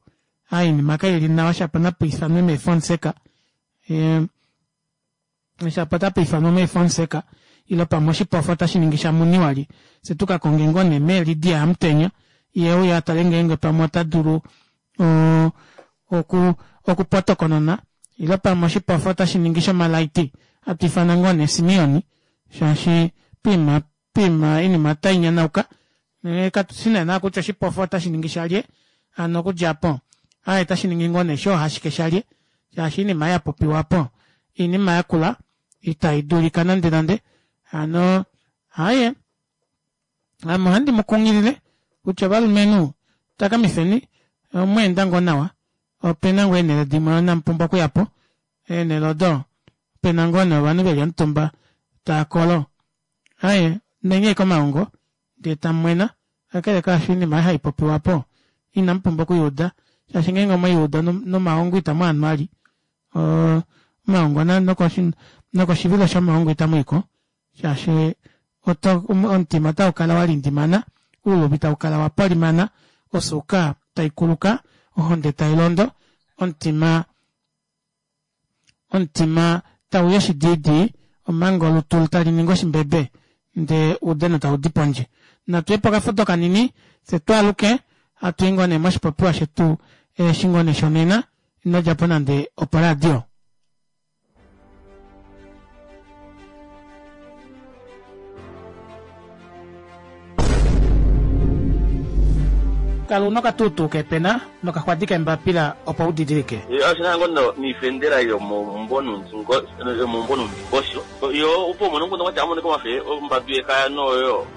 a iinima kaili nawa shapo napu ifanwe meefonseka e, Shapo otapa ifanwa mee Fonseka ile pamwe oshipofa otashi ningi sha muni wali. Fye tu ka konge ngoo nee mee Lydia Hamutenya ye euye a tale ngeenge pamwe ota dulu oku okupotokonona ile pamwe oshipofa otashi ningi shomalaiti hatu ifana ngoo nee Simeon shaashi poima poima oinima otai nyanauka katu shi naana kutya oshipofa otashi ningi shalye hano okudja apo aaye otashi ningi ngoo nee shoohashike shalye shaashi oinima ya popiwa po oinima yakula itai dulika nande nande hano aaye ame ohandi mu kunghilile kutya ovalumenhu takamifeni omweenda ngoo nawa opena ngoo eenhele dimwe inamu pumbwa okuya po eenhele odo pena ngoo nee ovanhu veli omutumba taa kolo Aye, ndenye ashike omaongo, ndee tamu mwena, kakele kaasho oinima ei hai popiwa po inamu pumbwa oku i uda, shaashi ngeenge omwe i uda nomaongo itamu a nu vali. Omaongo nokoshivilo shomaongo itamu i ko, shaashi omutima otau kala wa lindimana, ouluvi tau kala wa polimana, osuuka tai kuluka, ohonde tai londo, omutima Omutima tau yi oshidiidii omanga olutu tali ningi oshimbebe ndee uudhano tau di pondje. Natu ye pokafudo kanini tse twaaluke hatu yi ngoo nee moshipopiwa shetu eshi ngoo nee shonena. Ino dja po nande oporadio. Kala una okatuutuu keepena nokaxwadi keembapila opo u didilike. Oshi na ngo niifendela yomomumvo nuundingosho yo opo umone omukundu gwatya amonike omafe ombambi yekaya noyo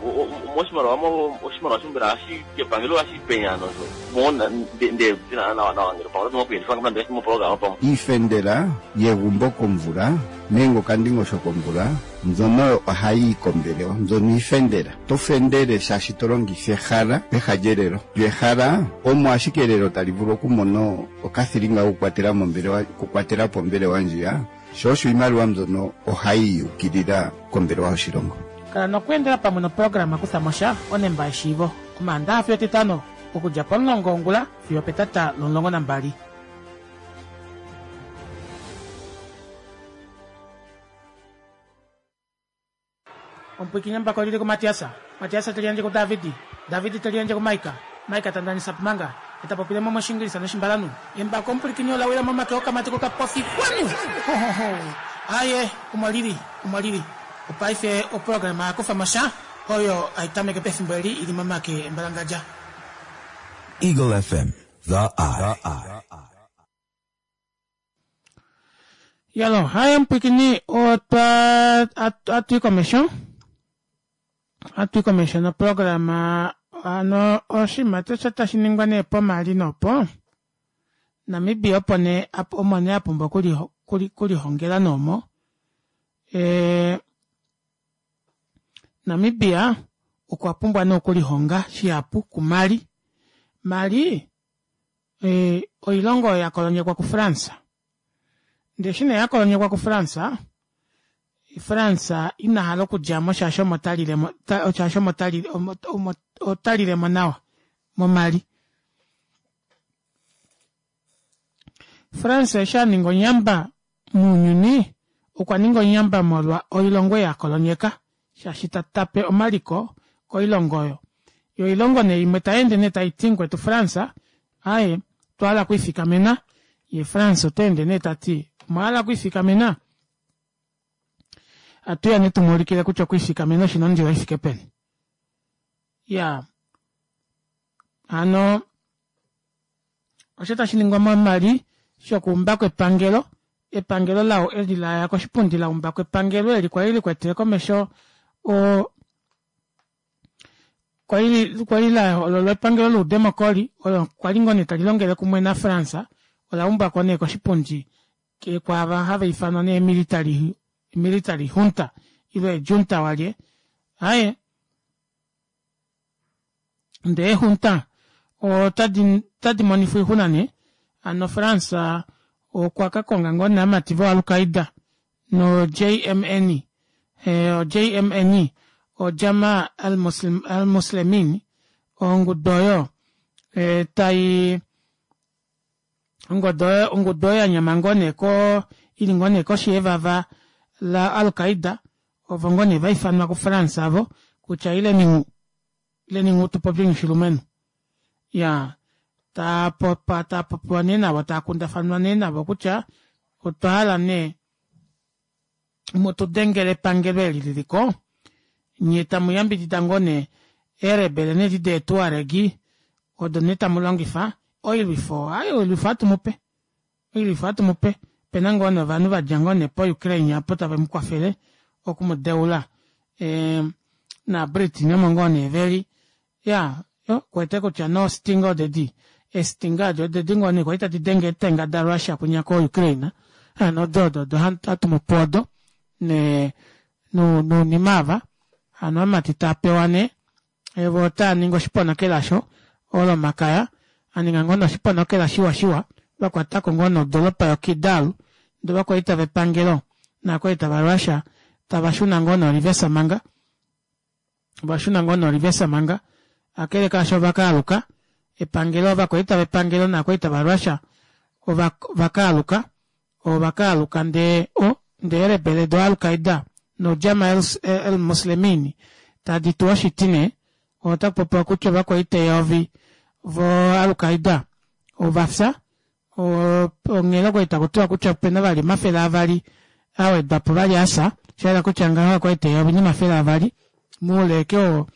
moshimaliwa oshimaliwa shombela ohashi kepangelo ohashi penya nosho mo nde dina nawa nawa ngele pamwe oto kuyelifa nande moprograma pamwe. Iifendela yegumbo komvula nenge okandingosho komvula mbyono ohayi yi kombelewa. Mbyono iifendela. To fendele shaashi to longitha ehala peha lyelelo. Lyo ehala omo ashike elelo tali vulu okumona okathilinga kokukwatela mombelewa, okukwatela po ombelewa ndjiya, sho osho iimaliwa mbyono ohayi yi ukilila kombelewa yoshilongo. Kala nokweendela pamwe noprograma Kutha mo sha, Onemba yeshiivo, Omaandaha fiyo Etitano, okudja pomulongo wongula fiyo opetata lomulongo nambali. Omupwiikini embako oli li kuMatias, Matias te liyandje kuDavid, David te liyandje kuMaika, Maika ta ndanisa pmanga, ye ta popile mo mOshiingilisa nOshimbalanhu. Embako omupwilikini ola wila momake okamati kokapofi kwanu! Ho, ho, ho! Aaye, omo li li, omo li li. Opaife oprograma ya kufa mo sha, oyo hai tameke pefimbo eli i li momake embalangadja. Eagle FM, The Eye. Yalo, haye mupwikini otwa atwi komesho. Atwi komesho noprograma Hano oshinima osho tashi ningwa nee pomali nopo Namibia opo nee omo nee apumbwa okulihongela noomo Namibia okwa pumbwa nee okulihonga shihapu kuMali. Mali oilongo oyo yakolonyekwa kuFrance. Ndee eshi nee yakolonyekwa kuFrance, France ina hala okudjamo shaashi omo talilemo shaashi omo tali omo otalilemo nawa moMali. France eshi aninga onyamba mounyuni okwa ninga onyamba molwa oilongo ei akolonyeka shaashi ta tape omaliko koilongo oyo. Yo oilongo nee imwe tayeende nee taiti mukwetu France aaye otwa hala okwiifikamena ye France ota ende nee tati omwa hala okwiifikamena atuya nee tumuulikile kutya okwiifikamena oshina ondilo ifike peni. Iyaa hano osho tashi ningwa momali shokuumbako epangelo epangelo lao eli la ya koshipundi la umbako epangelo eli kwali likwetele komesho o kwali la hoololwa epangelo loudemokoli olo kwali ngoo nee tali longele kumwe naFrance ola umbwako nee koshipundi kwaava hava ifanwa nee military military junta ile junta walye aaye Ndee eehunta otadi monifwa oixuna nee. Hano France okwa ka konga ngoo nee amati vo Al-Qaeda no JMN, o JMN o Jama al-Muslemin, ongudu oyo tai ongudu oyo yanyama ngoo nee ko ili ngoo nee koshi yevava la Al-Qaeda ovo ngoo nee vaifanwa ku France avo kutya ileni nghu ileni nghu tupopye oshilumenhu ya taapopa taapopiwa nee navo taakundafanwa nee navo kutya otwa hala nee mutudengele epangelo eli liliko nye tamu yambidida ngoo nee eerebele nedi deetuaregi odo nee tamu longifa oilwifo ai oilwifo ohatu mupe oilwifo ohatu mupe opena ngoo nee ovanhu vadja ngoo nee po Ukraine apo tave mukwafele okumudeula naaBritain omo ngoo nee veli ya okuwete kutya no stinga odedi eestinga adi odedi ngoo nee kwali tadi denge eetenga daRussia kwinya koUkraine hano odo odo odo hatu mupe odo ne nounima ava hano amati taa pewa nee Evo otaa ningi oshiponokela osho Olomakaya, a ninga ngoo nee oshiponokela shiwa shiwa, va kwatako ngoo nee odoropa yo Kidal, ndee ovakwaita vepangelo naakwaita va Russia tava shuna ngoo nee orivesa manga, ova shuna ngoo nee orivesa manga, akele kaasho ova ka aluka, epangelo, ovakwaita vepangelo naakwaita va Russia ova va ka aluka, ova ka aluka ndee o, ndee eelebele do Al-Qaeda no Jama el Muslemin tadi tu oshiti nee, ota kupopiwa kutya ovakwaita eyovi vo Al-Qaeda ova fya, onghela okwali taku tiwa kutya opena vali 200 awedwapo vali afya, shayela kutya ngaho ovakwaita 1200 moule ashike wo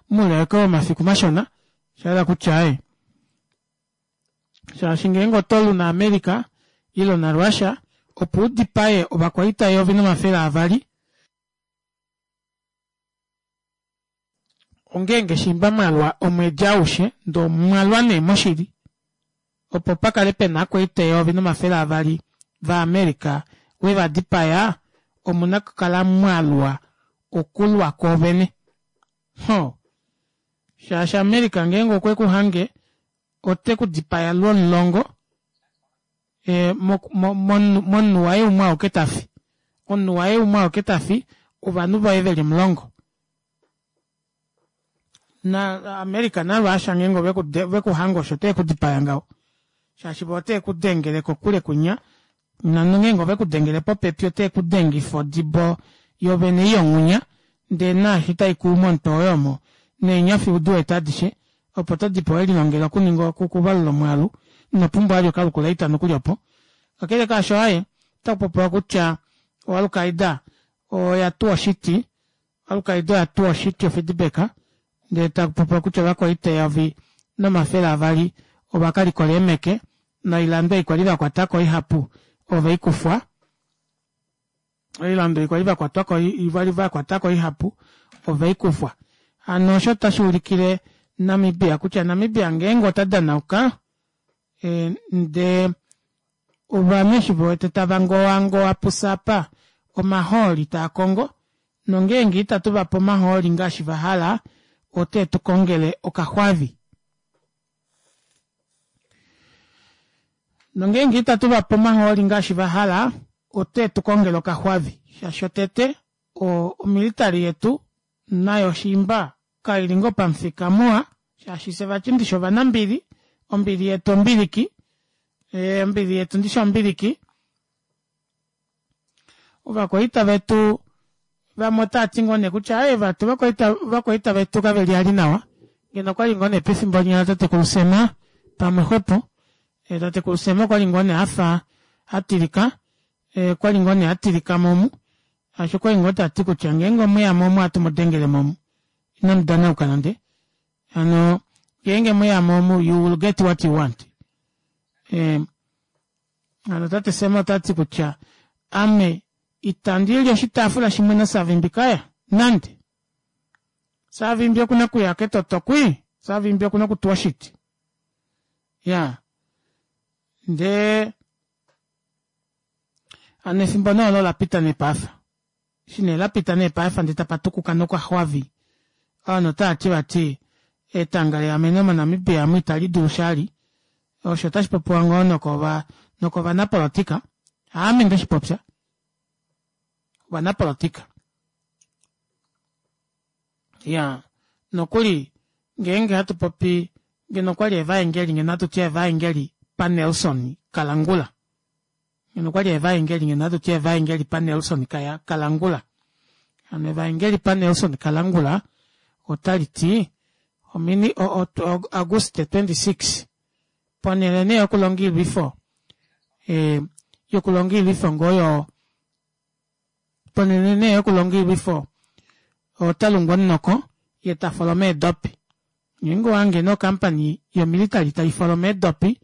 moule ashike womafiku mashona, shayela kutya aaye Shaashi ngeenge oto lu naAmerica ile naRussia opo u dipaye ovakwaita 1200, ongeenge shimba mwa lwa omwedi aushe, ndee omwa lwa nee moshili, opo pa kale pe na akwaita 1200 vaAmerica we va dipaya, omu na okukala mwa lwa okulwa kwoovene. Hoo! Shaashi America ngeenge okwe ku hange ote ku dipaya lwomulongo e, momunhu waye umwe auke ta fi. Omunhu waye umwe auke ta fi, ovanhu voye ve li omulongo. Na America naRussia ngeenge ove ku hange osho ote ku dipaya ngaho. Shaashi vo ote ku dengele kokule kunya, nongeenge ove ku dengele popepi ote ku dengifa odibo yovene yonghunya, ndee naashi tai ku momutwe woye omo, neenyofi udi wete adishe, opo to dipo we lilongela okuninga okuvalula omwaalu, ino pumbwa vali okalukulaita nokuli opo. Kakele kaasho aaye, otaku popiwa kutya oAl-Qaeda oya tuwa oshiti, Al-Qaeda oya tuwa oshiti ofeedback, ndee taku popiwa kutya ovakwaita 1200 ova ka likola eemeke, noilando ei kwali va kwata ko ihapu ove i kufwa. Oilando ei kwali va kwatwa ko, vali va kwata ko ihapu ove i kufwa. Hano osho otashi ulikile Namibia kutya Namibia ngeenge ota danauka e, ndee ovanhu eshi vewete tava ngowangowa pusapa omahooli taa kongo nongeenge itatu vape omahooli ngaashi vahala ote tu kongele okaxwavi. Nongeenge itatu vape omahooli ngaashi vahala ote tu kongele okaxwavi shaashi otete omilitali yetu nayo shiimba kaili ngoo pamufika muwa shaashi fye vati ndishi ovanambili ombili yetu ombiliki ombili yetu ndishi ombiliki ovakwaita vetu vamwe otava ti ngoo nee kutya aye vati ovakwaita vetu kave li ali nawa ngeno okwali ngoo nee pefimbo linya latatekulu Sem pamwe xwepo tatekulu Sem okwali ngoo nee afa atilika okwali ngoo nee atilika momu shaashi okwali ngoo tati kutya ngeenge omweya mo omu ohatu mu dengele momu inamu danauka nande hano ngeenge mweya mo omu you will get what you want hano tate Sem otati kutya ame itandi li oshitaafula shimwe naSavimbi kaya nande Savimbi okuna okuya ketotokwi Savimbi okuna okutuwa oshiti ya ndee hano efimbo nee olo olapita nee paife eshi nee lapita nee paife ndee tapa tukuka nokaxwavi ovanhu otavati vati etanga leameno moNamibia amu itali dulu shali osho otashi popiwa ngoo nokova nokovanapolotika haame ndeshipopya ovanapolotika ya nokuli ngeenge hatu popi ngeno okwali evaengeli ngeno hatu ti evaengeli paNelson Kalangula ngeno okwali evaengeli ngeno hatu ti evaengeli paNelson Kalangula hano evaengeli paNelson Kalangula otali ti omini Auguste 26 ponhele nee yokulonga oilwifo e, yokulonga oilwifo ngoo yo ponhele nee yokulonga oilwifo ota lungu omunoko ye ta foloma eedopi ngeenge owange nee okampani yomilitali tai foloma eedopi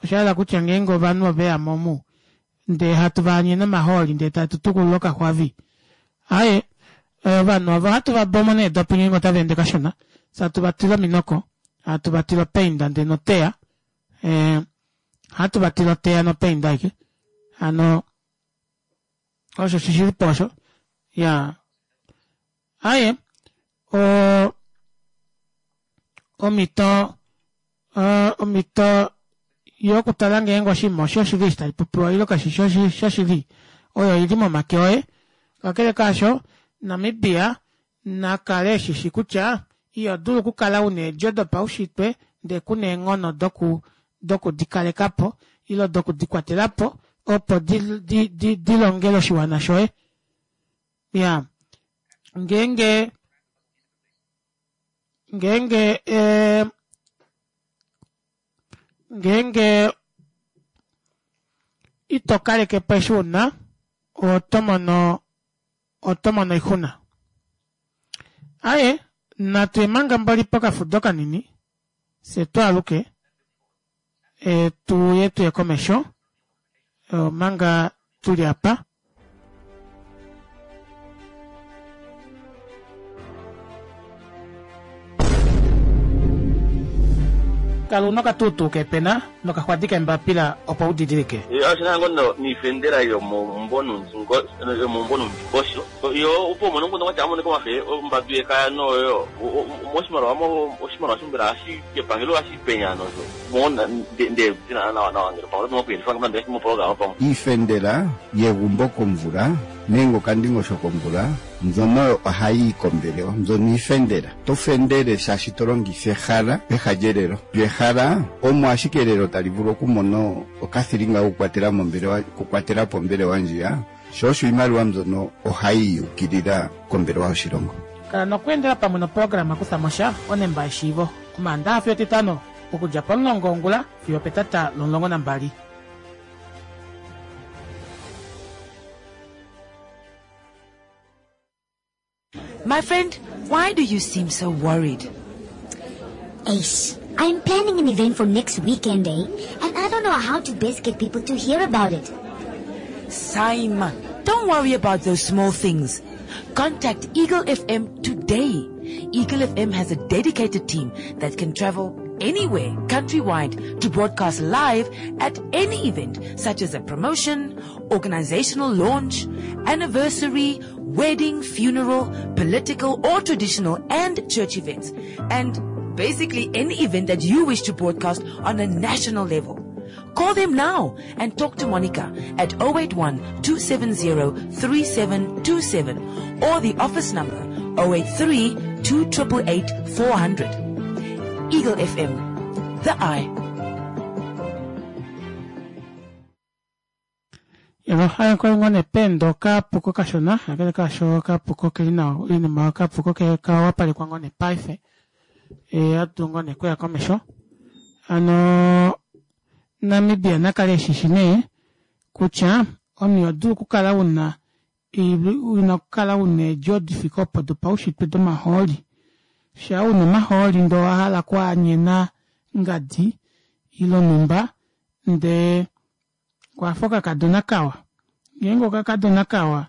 osha hala kutya ngeenge ovanhu oveya mo omu ndee hatu vaanyene omahooli ndee tatu tukulula okaxwavi aaye ovanhu ovo ohatu va bomo needopi ngeenge otava ende kashona fye hatu va tila ominoko hatu va tila opainda ndee noteya ohatu va tila oteya nopainda aike hano osho shishilipo osho ya aye o omhito omhito yokutala ngeenge oshinima oshoshili eshi tashi popiwa ile kashi shi shoshili oyo ili momake oye kakele kaasho Namibia na kale eshishi kutya iho dulu okukala una eedjo dopaushitwe ndee kuna eenghono doku doku di kaleka po ile doku di kwatela po opo di di di di longele oshiwana shoye ya ngeenge ngeenge eh, ngeenge ito kaleke po eshi una oto mono oto mono oixuna. Aye, natu ye manga mboli pokafudo kanini, fye twaaluke e, tu ye tuye komesho omanga tuli apa. Kala una okatuutuu keepena nokaxwadi keembapila opo u didilike. Oshi na ngoo noifendela yomeumbo noundingosho yo opo umone omukundu watya amonike omafe ombadu yekaya noyo moshimaliwa oshimaliwa mbela ohashi epangelo ohashi penya nosho nde dina nawa nawa ngele pamwe oto nokuyelifa moprograma pamwe iifendela yegumbo komvula nenge okandingosho komvula mbyono ohayi yi kombelewa mbyono iifendela to fendele shaashi to longitha ehala peha lyelelo lyehala omo ashike elelo tali vulu okumona okathilinga kokukwatela mombelewa okukwatela po ombelewa ndjiya sho osho iimaliwa mbyono ohayi yukilila kombelewa yoshilongo. Kala nokweendela pamwe noprograma Kutha mo sha onemba yeshiivo Omaandaxa fiyo Etitano okudja pomulongo wongula fiyo opetata lomulongo nambali. My friend, why do you seem so worried? Ace, I'm planning an event for next weekend, eh? And I don't know how to best get people to hear about it. Saima, don't worry about those small things. Contact Eagle FM today. Eagle FM has a dedicated team that can travel anywhere countrywide to broadcast live at any event such as a promotion, organizational launch, anniversary, wedding, funeral, political or traditional and church events. And basically any event that you wish to broadcast on a national level. Call them now and talk to Monica at 081 270 3727 or the office number 083 2888 400. Eagle FM, the eye. Yalo kwali ngoo nee peenda okapuko kashona kakele kaasho okapuko keli nawa oinima okapuko kawapalekwa ngoo nee paife ohatu dulu ngoo nee okuya komesho hano Namibia nakale eshishi nee kutya omunhu iho dulu okukala una ina okukala una eedjo difike opo dopaushitwe domahooli shaa una omahooli ndee owahala okwaanyena ngadi ile onhumba ndee kwafa okakadona kawa ngeenge okakadona kawa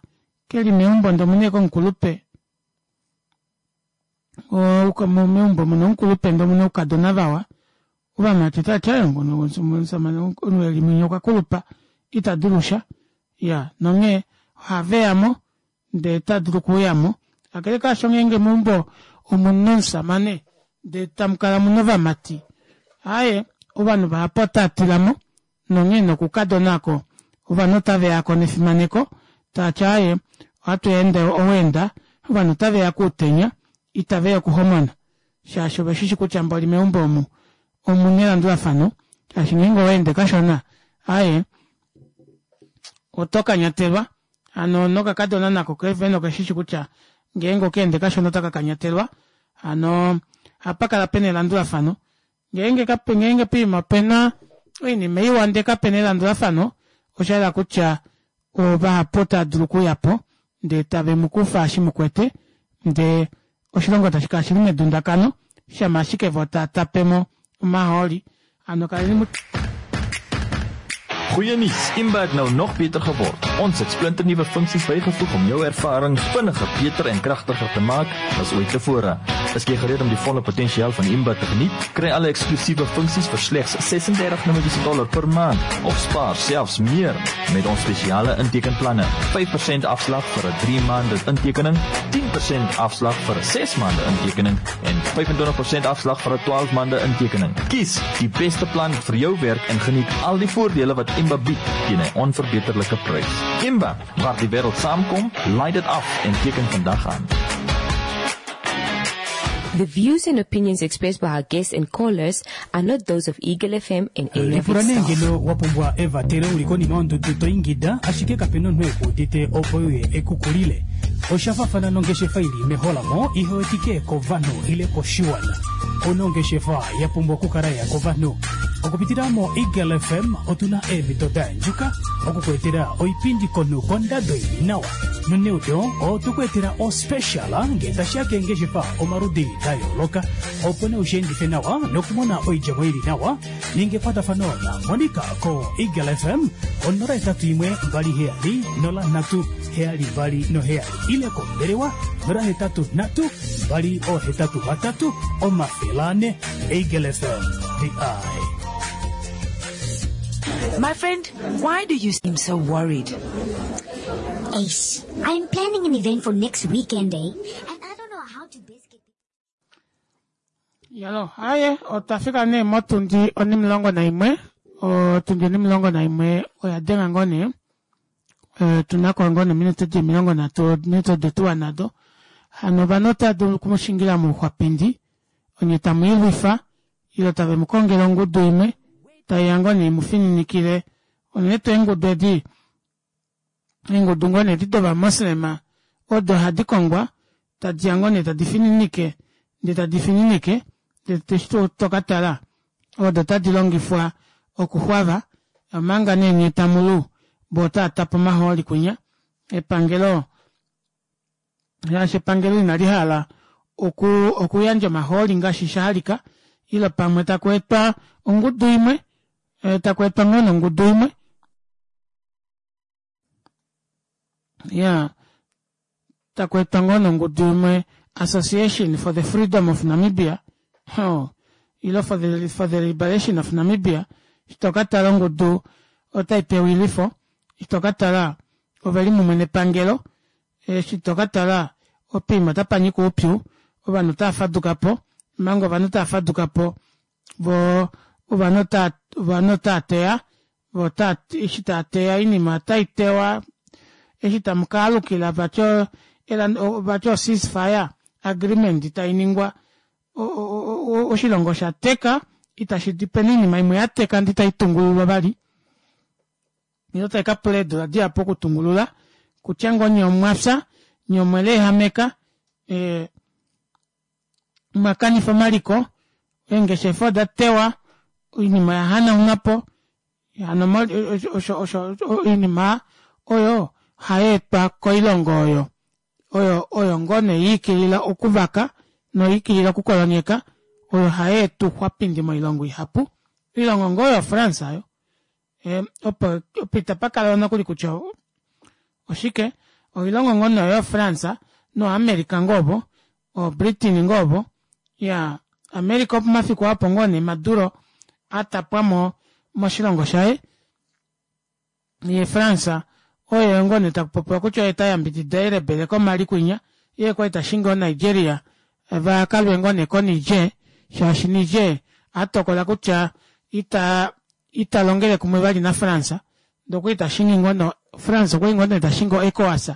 keli meumbo ndee omuna ashike omukulupe meumbo muna omukulupe ndee omuna oukadona vawa ovamati otavati aaye omushamane omunhu eli mwinya okwakulupa ita dulusha iyaa nonghee ohaveyamo ndee otadulu okuuyamo kakele kaasho ngeenge meumbo omuna omushamane ndee tamukala muna ovamati aaye ovanhu vahapu otava tilamo nonghee nokukadona oko ovanhu otaveyako nefimaneko taati aaye ohatu ende oweenda ovanhu otaveya kuutenya itaveya okuhomona shaashi oveshishi kutya mboli meumbo omu omuna elandulafano shaashi ngeenge owaende kashona aaye oto kanyatelwa hano nokakadona nako kevene okeshishi kutya ngeenge okaende kashona otaka kanyatelwa hano ohapa kala pena elandulafano ngeenge kape ngeenge poima opena oinima iwa ndee kapena elandulafano oshayela kutya vahapu otava dulu okuuyapo ndee tave mukufa eshi mukwete ndee oshilongo tashi kala shili medundakano shama ashike voo tava tapemo omahooli hano kaleni mu Goeie nuus, Imba het nou nog beter geword. Ons het splinternuwe funksies bygevoeg om jou ervaring vinniger, beter en kragtiger te maak as ooit tevore. Is jy gereed om die volle potensiaal van Imba te geniet? Kry alle eksklusiewe funksies vir slegs 36 Namibiese dollar per maand of spaar selfs meer met ons spesiale intekenplanne. 5% afslag vir 'n 3 maande intekening, 10% afslag vir 'n 6 maande intekening en 25% afslag vir 'n 12 maande intekening. Kies die beste plan vir jou werk en geniet al die voordele wat Imba bied teen 'n onverbeterlike prys. Imba, waar die wêreld saamkom, laai dit af en teken vandag aan. The views and opinions expressed by our guests and callers are not those of Eagle FM and any of Lipula its nee staff. ngeno wa pumbwa evatelo uli konima yondudu to ingida ashike kape na omunhu ekuudite opo uye ekukulile. Osha fafana nongeshefa ili meholamo ihe wetike kovanhu ile koshiwana. Ouna ongeshefa ya pumbwa okukala ya kovanhu. Okupitila mo Eagle FM otuna eemhito da yandjuka okukuetela oipindi konhu kondado ili nawa. Noneudo otukuetela ospecial ngee tashiya keengeshefa omaludi da yooloka opo nee ushiendife nawa nokumona oidjemo ili nawa. Ninga ekwatafano na Monica ko Eagle FM 081 27 03 72 ile kombelewa 083 283 400. Eagle FM, the eye. My friend, why do you seem so worried? Ace, I'm planning an event for next weekend, eh? And I don't know how to best get Yalo, aye, otwa fika nee motundi onimulongo naimwe, otundi onimulongo naimwe oya denga ngoo nee, tunako ngoo nee ominute di 30, ominute odo tuwa nado. Hano ovanhu otava dulu okumushingila mouxwapindi, onye tamu ilwifa, ile tave mu kongele ongudu imwe, taiya ngoo nee imufininikile, unene tuu eengudu edi, eengudu ngoo nee edi dovamoslema, odo hadi kongwa, tadiya ngoo nee tadi fininike, ndee tadi fininike, ndee eshi tokatala, odo tadi longifwa okuxwava, omanga nee nyee tamulu, voo otava tapa omahooli kwinya, epangelo shaashi epangelo inali hala oku okuyandja omahooli ngaashi shahalika ile pamwe taku etwa ongudu imwe taku etwa ngoo nongudu imwe ya. Taku etwa ngoo nongudu imwe Association for the Freedom of Namibia, oh, ile for the, for the Liberation of Namibia, eshi to ka tala ongudu otai pewa oilwifo, eshi to ka tala ove li mumwe nepangelo, eshi to ka tala opiima otapa nyika oupyu, ovanhu otava faduka po, omanga ovanhu tava faduka po vo ovanhu ota ovanhu otava teya vo ota eshi tava teya oinima otai tewa eshi tamu ka alukila vati vati o ceasefire agreement tai ningwa oshilongo osha teka itashi di pena oinima imwe ya teka ndee itai tungululwa vali ile tai ka pula eedula dihapu okutungulula kutya ngoo nyee omwafya nyee omwe leehameka eh, mwa kanifa omaliko, eengeshefa oda tewa, oinima oya hanaunwa po. Hano osho osho oinima oyo ohai etwa koilongo oyo oyo oyo ngoo nee ya ikilila okuvaka noya ikilila okukolonyeka oyo hai eta ouxwapindi moilongo ihapu. Oilongo ngoo oyo France oyo opo opo itapa kala nokuli kutya oshike oilongo ngoo nee oyo France noAmerica ngoo ovo oBritain ngoo ovo ya America opomafiku apo ngoo nee Maduro a tapwa mo moshilongo shaye ye France oye ngoo nee taku popiwa kutya oye ta yambidida eelebele komali kwinya ye kwali ta shingi oNigeria va kalwe ngoo nee koNiger shaashi Niger a tokola kutya ita ita longele kumwe vali naFrance ndee okwali ta shingi ngoo no France okwali ngoo nee ta shingi oECOWAS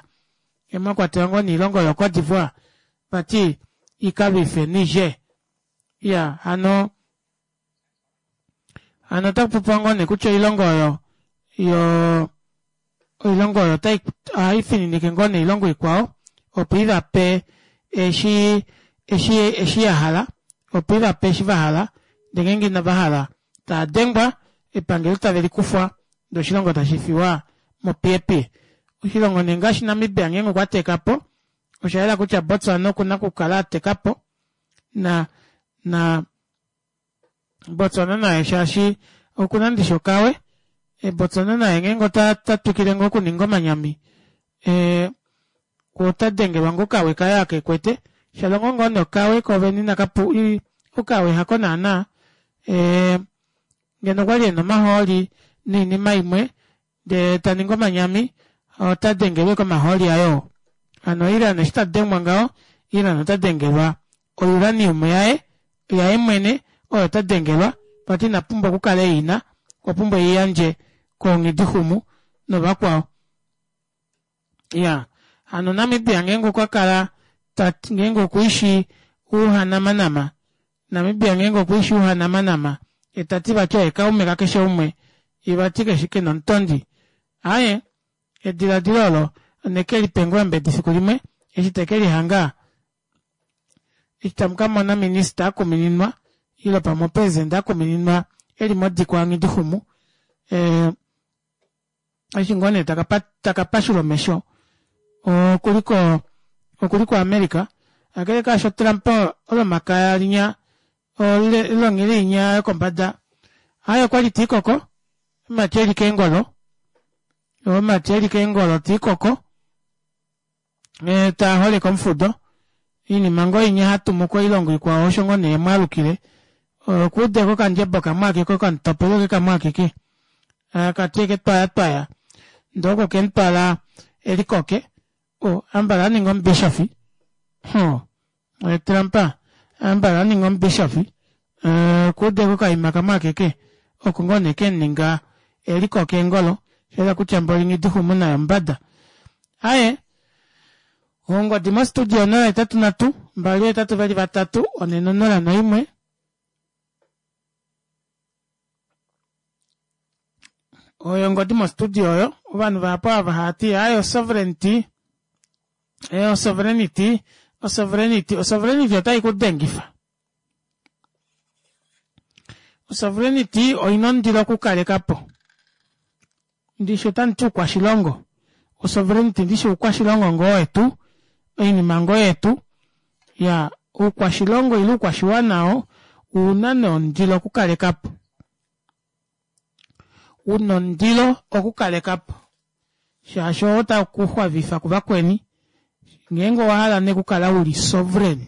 mwa kwatelwa ngoo noilongo yoCote d'Ivoire vati ika lwife Niger iya hano hano ota kupopiwa ngoo nee kutya oilongo oyo yo oilongo oyo otai ohai fininike ngoo nee oilongo ikwao opo i va pe eshi eshi eshi ya hala opo i va pe eshi va hala ndee ngeenge inava hala taa dengwa epangelo tave li kufwa ndee oshilongo tashi fiwa mopiyepiye. Oshilongo nee ngaashi Namibia ngeenge okwa teka po osha yela kutya Botswana oku na okukala a teka po na na Botswana naye shaashi oku na ndishi okawe. E, Botswana naye ngeenge ota ta twikile ngoo okuninga omanyami e, ota dengelwa ngoo okawe kaye aka e kwete. Shalongo ngoo nee okawe koovene inaka pu okawe hako naana e, ngeno okwali ena omahooli noinima imwe ndee ta ningi omanyami ota dengelwe komahooli aye oo. Hano Iran eshi ta dengwa ngaho, Iran ota dengelwa ouranium yaye, yaye mwene oyo ta dengelwa, vati ina pumbwa okukala e i na, okwa pumbwa e i yandje koonghidixumu novakwao. Iya, hano Namibia ngeenge okwa kala ta ngeenge okwiishi uuhanamanama, Namibia ngeenge okwiishi uuhanamanama, ye ta ti vati oye kaume kakeshe umwe, ye vati keshi ke na omutondi. Aaye, ediladilo olo oneke li pe ngoo eembedi fiku limwe eshi te ke lihanga eshi tamu ka mona minista a kumininwa ile pamwe opresidente a kumininwa e li modikwa yaNghidixumu eh, eshi ngoo nee taka pashula omesho okuli ko okuli koAmerica kakele kaasho Trump olomakaya linya olonghili inya yokombada aye okwali tiikoko omati eli keengolo omati eli keengolo tiikoko e, taa holeke omufudo iinima ngoo inya hatumu koilongo ikwao osho ngoo nee mwalukile okuudeko okandjebo kamwe akeke okamutopelo ke kamwe akeke kati eke twaya twaya ndee oko kemutwala elikoke o ambala aninga omubishofi ho Trump ambala aninga omubishofi okuudeko okaima kamwe akeke oko ngoo nee kemuninga elikoke engolo shayela kutya mboli Nghidixumu naye omumbada aye ongodi mostudio 083 283 401 oyo ongodi mostudio oyo ovanhu vahapu ava hava ti aye osovereignty eh, osovereignty osovereignty osovereignty otai ku dengifa osovereignty oina ondilo okukaleka po Ndishi otamu ti uukwashilongo, osovereignty ndishi uukwashilongo ngoo wetu, oinima ngoo yetu. Ya, uukwashilongo ile uukwashiwana oo ouna nee ondilo okukaleka po. Una ondilo okukaleka po. Shaashi oo tau ku xwavifa kuvakweni. Ngeenge owa hala nee okukala uli sovereign,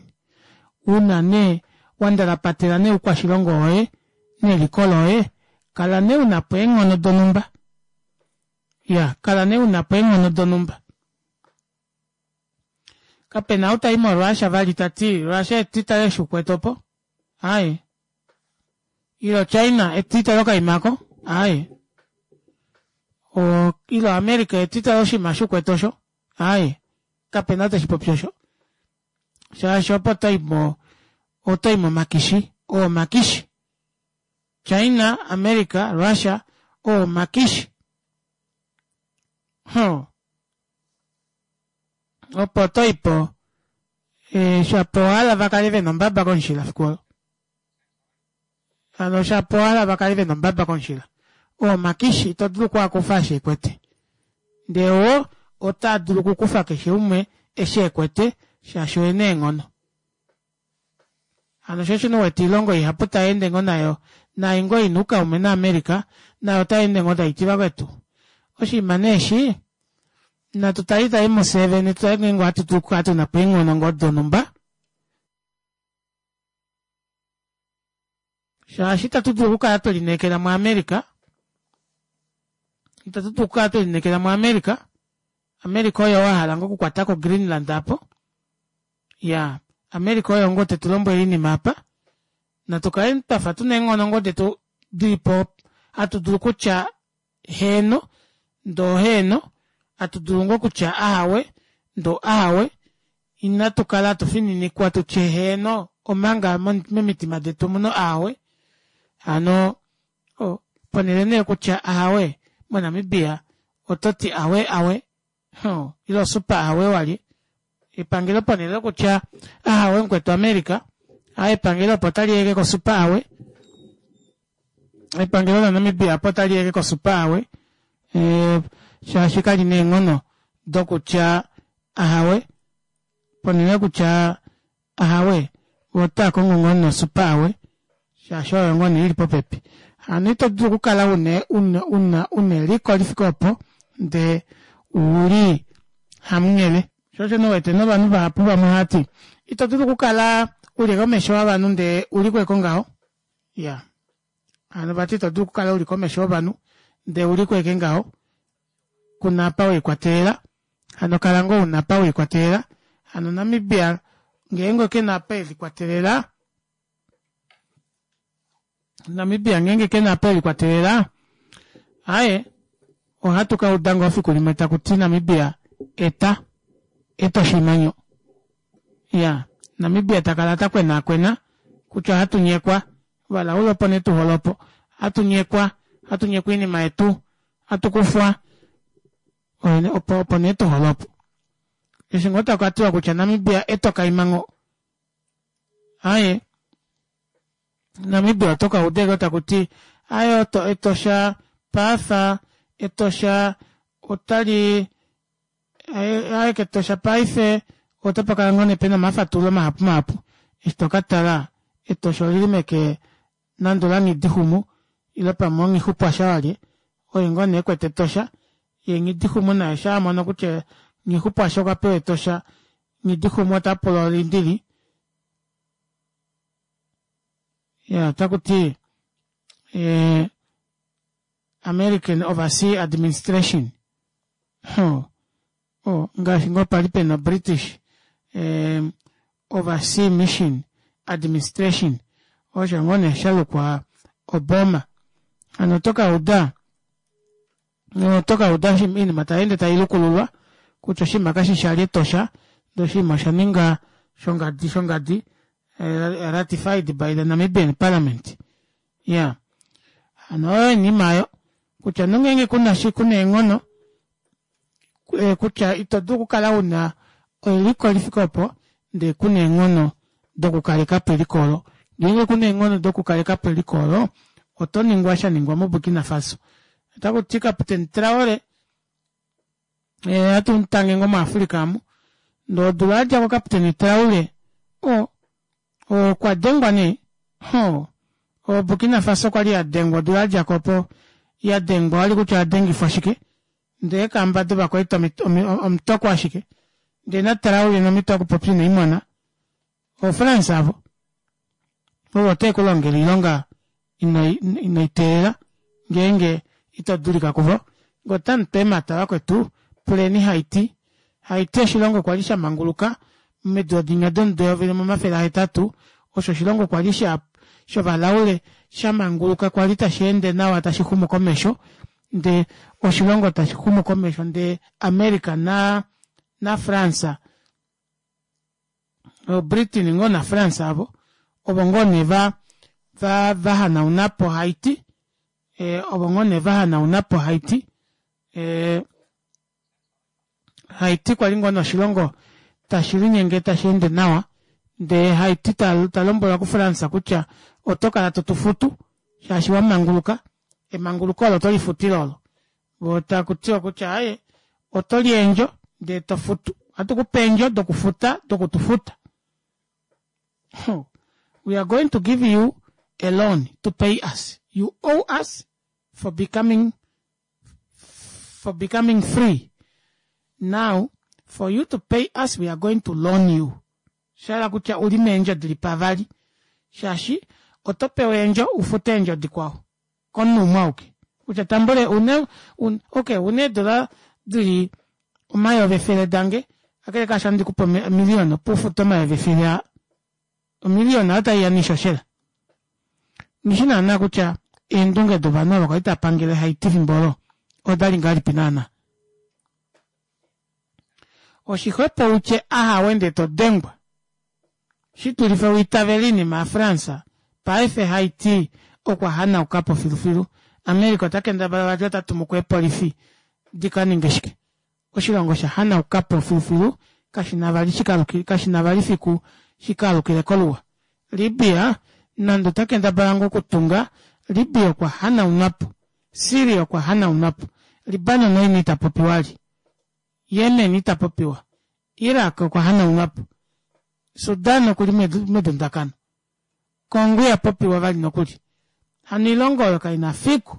una nee wa ndalapatela nee oukwashilongo woye neliko loye, kala nee una po eenghono donhumba. Ya, kala nee una po eenghono donhumba. Kapena ou tai moRussia vali ta ti Russia etitale eshi ukwete opo. Aaye. Ilo China etitale okaima ako. Aaye. O, ilo America etitale oshinima eshi ukwete osho. Aaye. Kapena ou teshi popi osho. Shaashi opo oto i mo, oto i momakishi. Oo omakishi. China, America, Russia, oo omakishi. Huh. Opo oto i po e, shapo ohala va kale ve na ombaba komushila fiku olo. Hano shapo ohala va kale ve na ombaba komushila. Oo omakishi ito dulu oku a kufa eshi e kwete. Ndee wo otaa dulu okukufa keshe umwe eshi e kwete shaashi oye na eenghono. Hano sho osho wete oilongo ihapu tai ende ngoo nayo nai ngoo ina oukaume naAmerica nayo otai ende ngoo tai ti vakwetu oshinima nee eshi natu tali tali mufye vene tu tale ngeenge ohatu dulu okukala tuna po eenghono ngoo donhumba shaashi itatu dulu okukala twe lineekela muAmerica itatu dulu okukala twe lineekela muAmerica America oye wa hala ngoo okukwata ko Greenland apo Ya, America oye ngoo tetu lombwele oinima apa. Natu kale twafa tuna eenghono ngoo detu dili po hatu dulu kutya heeno ndoo heeno, hatu dulu ngoo kutya ahawe ndoo ahawe. Inatu kala hatu fininikwa tu tye heeno omanga momitima detu omuna ahawe. Hano ponhele nee kutya ahawe moNamibia oto ti awe awe. Huh, ile osupa ahawe walye. Epangelo ponhele yokutya ahawe mukwetu America, a epangelo opo tali yeke kosupa awe. Epangelo laNamibia opo tali yeke kosupa awe. E, shaashi kali neenghono dokutya ahawe. Ponhele yokutya Ahawe, vo otaa kongo ngoo nosupa awe, shaashi oyo ngoo nee i li popepi. Hano ito dulu okukala una, una, una, una eliko li fike opo, ndee u li hamunghele. Sho osho nee wete novanhu vahapu vamwe ohava ti, Ito dulu okukala u li komesho yovanhu ndee u li kweko ngaho. Iya. Hano vati ito dulu okukala u li komesho yovanhu ndee u li kweke ngaho. Ku na apa we likwatelela. Hano kala ngoo una apa welikwatelela. Hano Namibia ngeenge ke na apa elikwatelela, Namibia ngeenge ke na apa elikwatelela, aye ohatu ka uda ngoo fiku limwe taku ti Namibia eta eta oshimanyo. Ya, Namibia ta kala ta kwenaakwena kutya ohatu nyekwa, valaula opo nee tu hole opo. Ohatu nyekwa, ohatu nyekwa oinima yetu, ohatu kufwa. Opo opo nee to hole opo. Eshi ngoo taku ka tiwa kutya Namibia etoka imango. Aye. Namibia oto ka uda eke taku ti aye oto Etosha paafa Etosha otali aye kEtosha paife otapa kala ngoo nee pena omafatululo mahapu mahapu. Eshi to ka tala Etosha olili meke nande olanghidixumu ile pamwe onghixupwasha walye oye ngoo nee ekwete Etosha ye Nghidixumu naye sha a mono kutya Nghixupwasha okwa pewa Etosha Nghidixumu ota pula olindili ya otaku ti eh, American Overseas Administration oh, oh, ngaashi ngoo pali pena British eh, Overseas Mission Administration osho ngoo nee sha lukwa Obama hano oto ka uda oto ka uda oinima tai ende tai lukululwa kutya oshinima kashi shali Etosha ndee oshinima osha ninga shongadi shongadi eh, ratified by the Namibian Parliament ya hano oyo oinima oyo kutya nongeenge kuna shi kuna eenghono eh, kutya ito dulu okukala una eliko li fike opo ndee kuna eenghono dokukaleka po eliko olo ngeenge kuna eenghono dokukaleka po eliko olo oto ningwa sha ningwa moBurkina Faso otaku ti Captain Traore eh, hatu mutange ngoo muAfrica amu ndee odula ya dja ko Captain Traore o okwa dengwa nee ho o Burkina Faso kwali ya dengwa odula ya dja ko opo ya dengwa wali kutya oya dengifwa shike ndee eekamba dovakwaita omutoko ashike. Ndee naTraore nomhito yokupopya ine i mona. OoFrance avo. Ovo ote ku longele oilonga ino i teelela ngeenge ito dulika kuvo. Nge otamu tu eemhata vakwetu, puleni Haiti. Haiti oshilongo kwa li sha manguluka momido dinya domudo 1800, osho oshilongo kwa li sha shovalaule sha manguluka kwa li tashi ende nawa tashi xumu komesho ndee oshilongo tashi xumu komesho ndee America na naFrance oBritain ngoo naFrance avo ovo ngoo nee va va va hanauna po Haiti eh, ovo ngoo nee va hanauna po Haiti eh, Haiti kwa li ngoo noshilongo tashi linyenge tashi ende nawa ndee Haiti ta, ta lombwelwa kuFrance kutya oto kala to tu futu shaashi wa manguluka emanguluko olo oto lifutile olo vo taku tiwa kutya aye oto li eendjo ndee to futu ohatu ku pe eendjo dokufuta dokutu futa we are going to give you a loan to pay us you owe us for becoming for becoming free now for you to pay us we are going to loan you sha hala kutya uli meendjo dili pavali shaashi oto pewa eendjo u fute eendjo dikwao komunhu umwe auke kutya tambule une un, ok une eedola dili omayovi efele dange akele kaasho andi kupe omiliyona opo ufute omayovi efele aa omiliyona oyo taiya noishoshela nghishi naana kutya eendunge dovanhu ava kwali tava pangele Haiti fimbo olo odali ngahelipi naana oshixwepo utye ahawe ndee to dengwa shi dulife u itavele oinima yaFrance paife Haiti okwa hanauka po filufilu America ota kendabala vati ota tumu ko eepolifi di ka ninge shike Oshilongo osha hanauka po filufilu, kashi na vali shi kashi na vali fiku shi ka alukile koluwa. Libya, nande ota kendabala ngoo okutunga, Libya okwa hanaunwa po. Syria okwa hanaunwa po. Libanon oina ita popiwa li. Yemen ita popiwa. Iraq okwa hanaunwa po. Sudan oku li medundakano. Congo iha popiwa vali nokuli. Hano oilongo oyo kai na fiku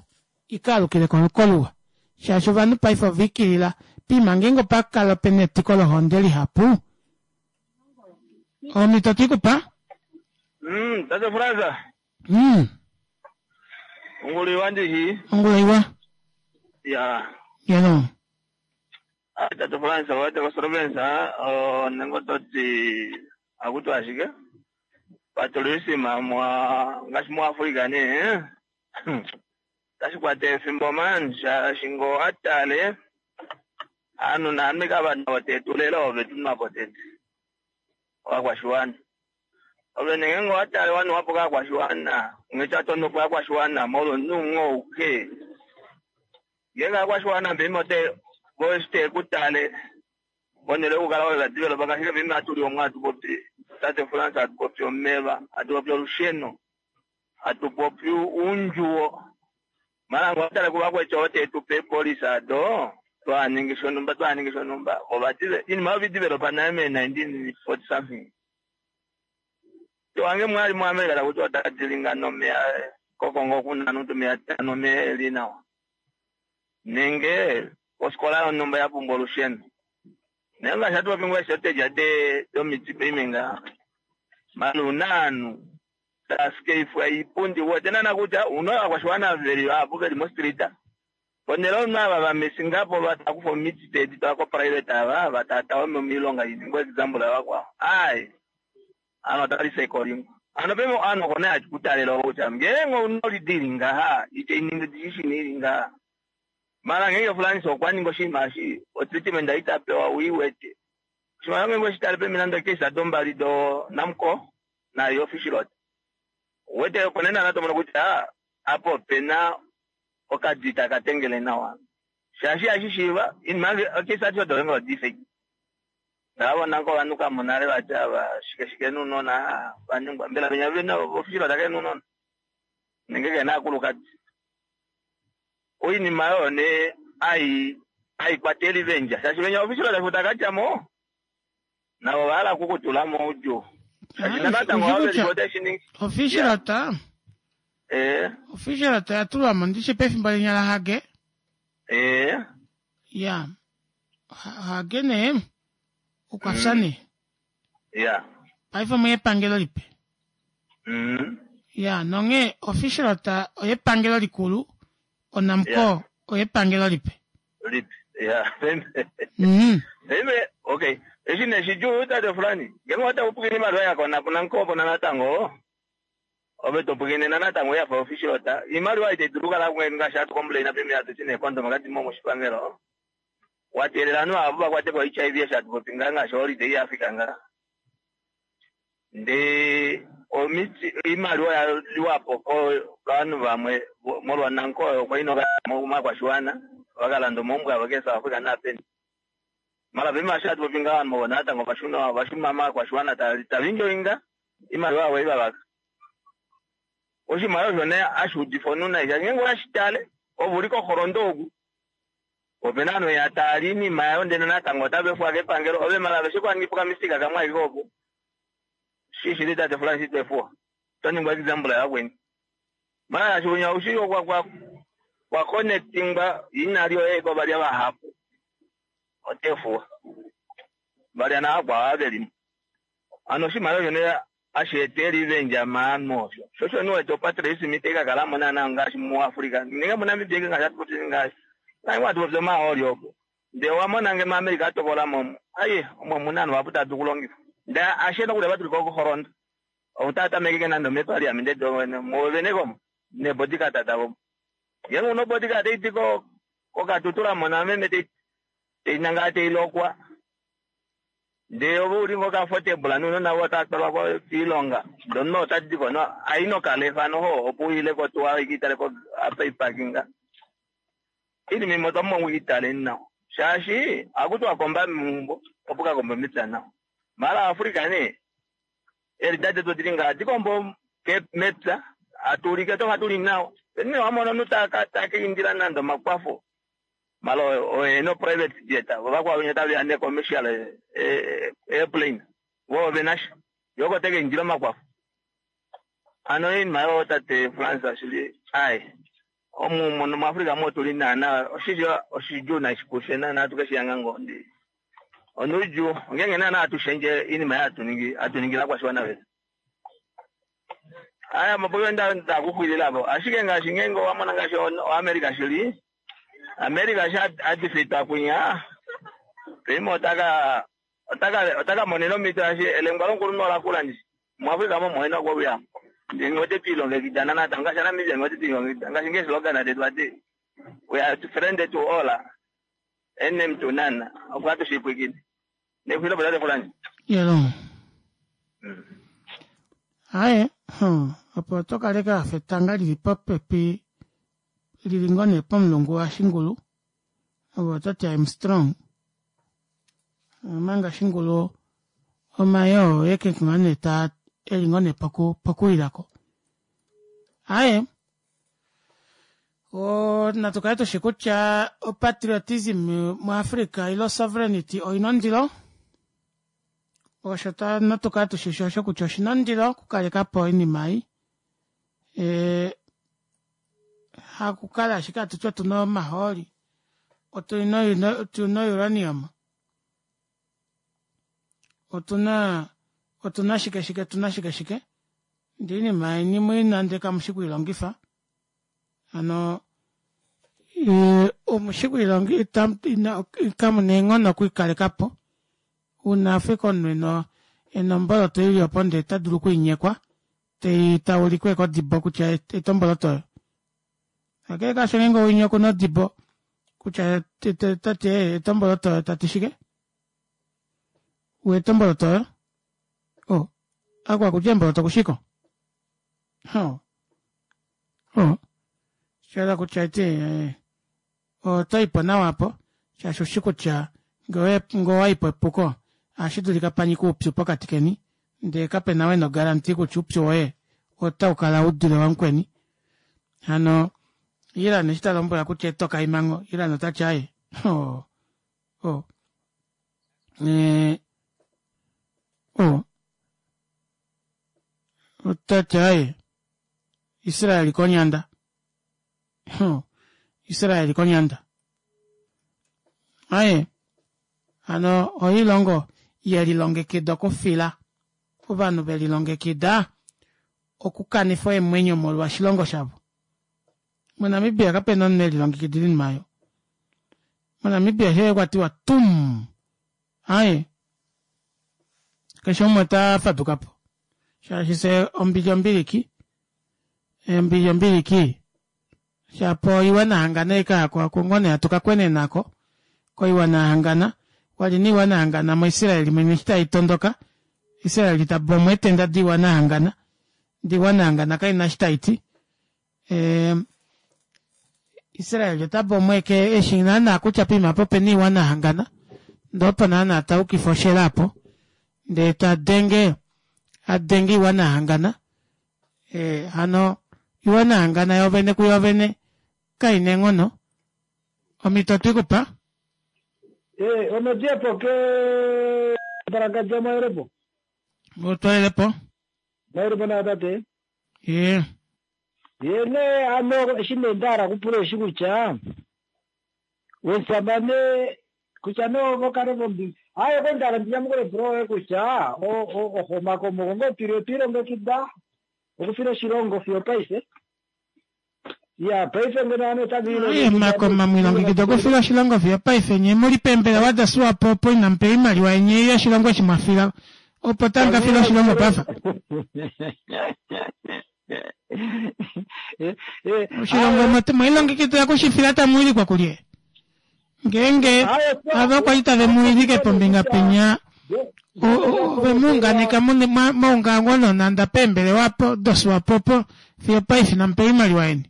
i ka alukile koluwa, shaashi ovanhu paife ova ikilila piima ngeenge opa kala pe na etiko lohonde lihapu. Omhito otwe i ku pa? Mm, Tate Fraser. Mm. Ongula iwa ndishi. Ongula iwa. Ya. Yeno. Ah, Tate Fraser, wete koSlovensa, oh, nengo toti akutu ashike. Patriotism mwa ngaashi muAfrica nee otashi kwata efimbo man shaashi ngee owa tale aanhu naame kava navo tetu lela ove tu nwapo tete ovakwashiwana ove nee ngeenge owa tale wa nuwapo kaakwashiwana onghee ta tonopo aakwashiwana molwa omunhu umwe ouke ngeenge aakwashiwana paife ote vo eshi teku tale Ponhele yokukala we va developa ngaashi paife hatu li omwa hatu popi tate France hatu popi omeva hatu popi olusheno hatu popi uundjuwo mara ngee owatale kuvakwetu ovo tetupe eepolice ado twaningi shonumba twaningi shonumba ova iinima oyo developa nale mee 1940 something wange mwali mu America takuti otadilinga nomeya kokongo okuna nutu meya nomeya eli nawa nenge oskola yonumba ya pumbwa olusheno naye ngaashi hatu popi ngoo shortage domiti paife ngaha mara una ovanhu taskeifwa iipundi uwete naana kutya una ovakwashiwana veli vahapu veli mostreet ponhele omunhu ava vamesingapo vatakufa omiti tedi twala ko private ava vatatawa moilonga iningwe example yavakwao ai ovanhu otava recyclingwa hano paife ovanhu oko nee hakutalela kutya ngeenge ouna olidi ili ngaha itainingi ishini ili ngaha mara ngeenge Frans okwa ninga oshinima eshi otreatment ita pewa uiwete oshimaliwa ngeenge oshitale pemi nande okeisa dombali do Namcor nayo Fishrot uwete opo nee naana tomono kutya apa opena okadi taka tengele nawa shaashi ihashi shiiva inima okeisa ati odo odi fake ndavona kovanhu kamonale vati ava shike shike nounona vaningwa mbela venya vena ofishilwa take nounona nenge kena aakulukadi oinima oyo nee ai aikwateli vendja shaashi venya ofishilwa tashi takatyamo navo vahala okukutula moudjuu shaashi natango Ushi kutya ofishilota ofishilota oya tulwa mo ndishi pefimbo linya laHage ya Hage nee Okwa fya nee. Ya. Paife omu epangelo lipe. Ya, nonghee official ta oyepangelo likulu, oNamcor oyepangelo lipe. Lipe. Ya. Paife, okay. Eshi nee shidjuu tate Fulani, ngeenge ota pwilikine iimaliwa ya kona kuNamcor opo natango, ove to pwilikine natango ya fa official ta. Iimaliwa itai dulu okukala ngaashi hatu complain paife hatu ti neecondom kadi mo moshipangelo. Wa teelela ovanhu ava va kwate po HIV eshi hatu popi ngaha ngaashi holiday ya fika ngaha. Ndee omiti oimaliwa oya liwa po kovanhu vamwe molwa Namcor oyo kwa ina ovakwashiwana va ka landa omaumbo avo ke South Africa naapeni. Mara paife eshi hatu popi ngaha ovanhu ovo natango ovashuna ovashuna ovakwashiwana tava enjoyinga oimaliwa yavo ei va vaka. Oshimaliwa osho nee hashi udifa omunhu nai shaashi ngeenge owashi tale ove uli koholondo oku Opena ovanhu ya tala iinima yayo ndele natango otava efuwa kepangelo ove mala aveshe kwa ningipo okamistika kamwe ashike opo shi shili tate Francis to efuwa oto ningwa example yavakweni mala shaashi winya oushi kwa kwa kwa connectingwa ina lyoye kovalya vahapu oto efuwa valya navakwao ava velimo ano oshimaliwa osho nee hashi eta erevenge maanhu osho sho osho niwete opatriotism itai ka kalamo naana ngaashi muAfrica nenge muNamibia eke ngaashi hatu popi ngaashi ngaashi hatu popi omahooli opo ndee owa mona nge maAmerica a tokola mo aye omo omuna ovanhu vahapu tava dulu okulongifa ndee ashe nokuli ava tuli kokuholondo ou taa tameke ke nande omepaliamente muovene komo neebodyguard davo ngeenge una obodyguard taidi koKatutura mona meme tai nangala tai lokwa Ndee ove uli ngoo comfortable nounona voye otava twalwa koilonga ndee omunhu ota diko no ai nokalefa noho opo uile kotuwa ike itale po apa ipakinga. Iinima imwe otwa pumbwa okuitaleni nawa shaashi ohaku tiwa komba meumbo opo ka kombe mepya nawa. Maala Africa nee eelida detu odili ngaha hadi kombo mepya hatu ulike twafa tuli nawa. Peni nee wamona omunhu taka indila nande omakwafo Malo oye no private jet vo vakwao venya taveya ne commercial airplane vo ovena sha ye oko teka indila omakwafo hano oinima yoo tate Frans shili ai omu muno mu Africa omu otuli naana oshili oshidjuu nai kufye naana atu keshiyanga ngoo ndi onoudjuu ongenge naana atu shendje iinima ei hatu ningi hatu ningile ovakwashiwana vetu. Aya mapoyo nda ndakuxwililapo ashike ngaashi ngeenge owa mona ngaashi oAmerica shili America eshi a defeatwa kwinya paife otaka otaka otaka monena omhito shaashi elengwa lomukulunhu ola kula ndishi muAfrica mo omo ena okuuya ndee ngee ote twiilongekida natango ngaashi aNamibia ngee ote twiilongekida ngaashi ngee slogan detu ati we are friend to all enemy to none opo hatu shipwikine nexwilo po tate Fulani. Yelo. Aye, opo oto kaleke wafa etanga lili popepi lili ngoo nee pomulungu washingulu ove oto ti I'm strong omanga shingulu omayoo oye ke ngoo nee taa eli ngoo nee poku pokuwilako aye o natu kale tushi kutya opatriotism muAfrica ile sovereignty oina ondilo osho ta natu kale tushi osho kutya oshina ondilo okukaleka po oinima ei e, hakukala ashike hatu ti otu na omahooli otu na uranium otu na otu na shike shike otu na shike shike ndee iinima yeni mu ina ndee kamu shi kuilongifa hano omu shi kuilongifa kamu na eenghono okuikaleka po uuna Afrika omunhu ena ena omboloto ili opo ndee ota dulu okuinyekwa tei taulikwe kodibo kutya eta omboloto oyo kakele kaasho ngeenge winya okuna odibo kutya tati eta omboloto oyo tati shike ueta omboloto oyo o akwa kutya emboloto kushiko o o shala kutya eti eh, oto ipo nawa apo shaashi ushi kutya ngee owaipo epuko ohashi dulika panyike oupyu pokati keni ndee kapena we nogaranti kutya oupyu woye otau kala u dule wamukweni hano Iran eshi ta lombwela kutya etoka imango Iran otati aye o o e, o otati aye Israel konyanda Israel konyanda. Aye, hano oilongo ye lilongekida okufila ovanhu ve lilongekida okukanifa eemwenyo molwa oshilongo shavo. MoNamibia kape na omunhu e lilongekidila oinima oyo. MoNamibia shee kwa tiwa tum, aye keshe umwe ota faduka po shaashi fye ombili ombiliki, ombili ombiliki shapo oiwana hangana ei kayako ako ngoo nee hatu ka kwenena ko koiwana hangana wali niiwana hangana moIsrael mwene eshi tai tondoka Israel ta bomu eetenda diiwana hangana diiwana hangana kaina eshi tai ti Israel ota bomu eke eshi naana kutya poima apo opena iiwana hangana ndee opo naana ta yukifa oshela apo ndee ta denge adenge iiwana hangana hano iiwana hangana yoovene kuyoovene kaina eenghono omhito otwikupa. Omediepo ke Mbalangandja mwaelepo. Otwaelepo. Mwaelepo naa tate. Ye. Ye nee hano eshi nee nda hala okupula eshi kutya omusamane kutya nee ovo kale vombi aaye okwali nda hala ndi nyamukule epulo loye kutya omakomoko ngoo tuli otwe ilongekida okufila oshilongo fiyo opaife ya paife ngeno ovanhu otava Aye makoma mwilongekida okufila oshilongo fiyo paife nye muli peembelewa da Swapo opo inamu pewa oimaliwa yeni ei yoshilongo eshi mwa fila opo tamu ka fila oshilongo pafa. Oshilongo mwelilongekidila okushifila tamu wilikwa kulye? Ngeenge ava kwali tave mu wilike pombinga penya ove mu unganeka maungaungo nonanda peembelewa apo doSwapo opo fiyo paife inamu pewa oimaliwa yeni.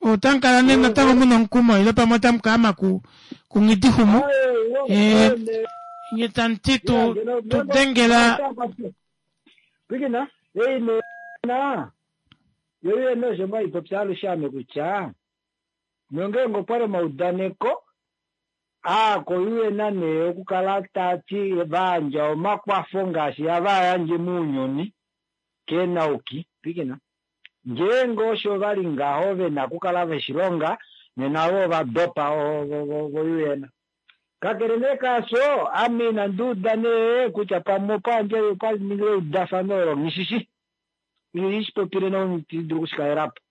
Otamu kala nee natango mu na omukumo ile pamwe otamu ka ama ku kunghidixumu nye tamu ti tu tu dengela Pwilikina, ei nee na yo yene osho mwa ipopya alushe ame kutya Nongeenge opwa li omaudaneko aa koUN nee okukala taa ti va yandja omakwafo ngaashi hava a yandje mounyuni keenauki, pwilikina, ngeenge osho va li ngaho ve na okukala ve shi longa, nena vo ova dopa voUN. Kakele nee kaasho, ame inandi uda nee kutya pamwe opa yandjwa opa ningilwe eudafano olo nghi shi shi. Ihandi shi popile noitandi dulu oku shi kalela po.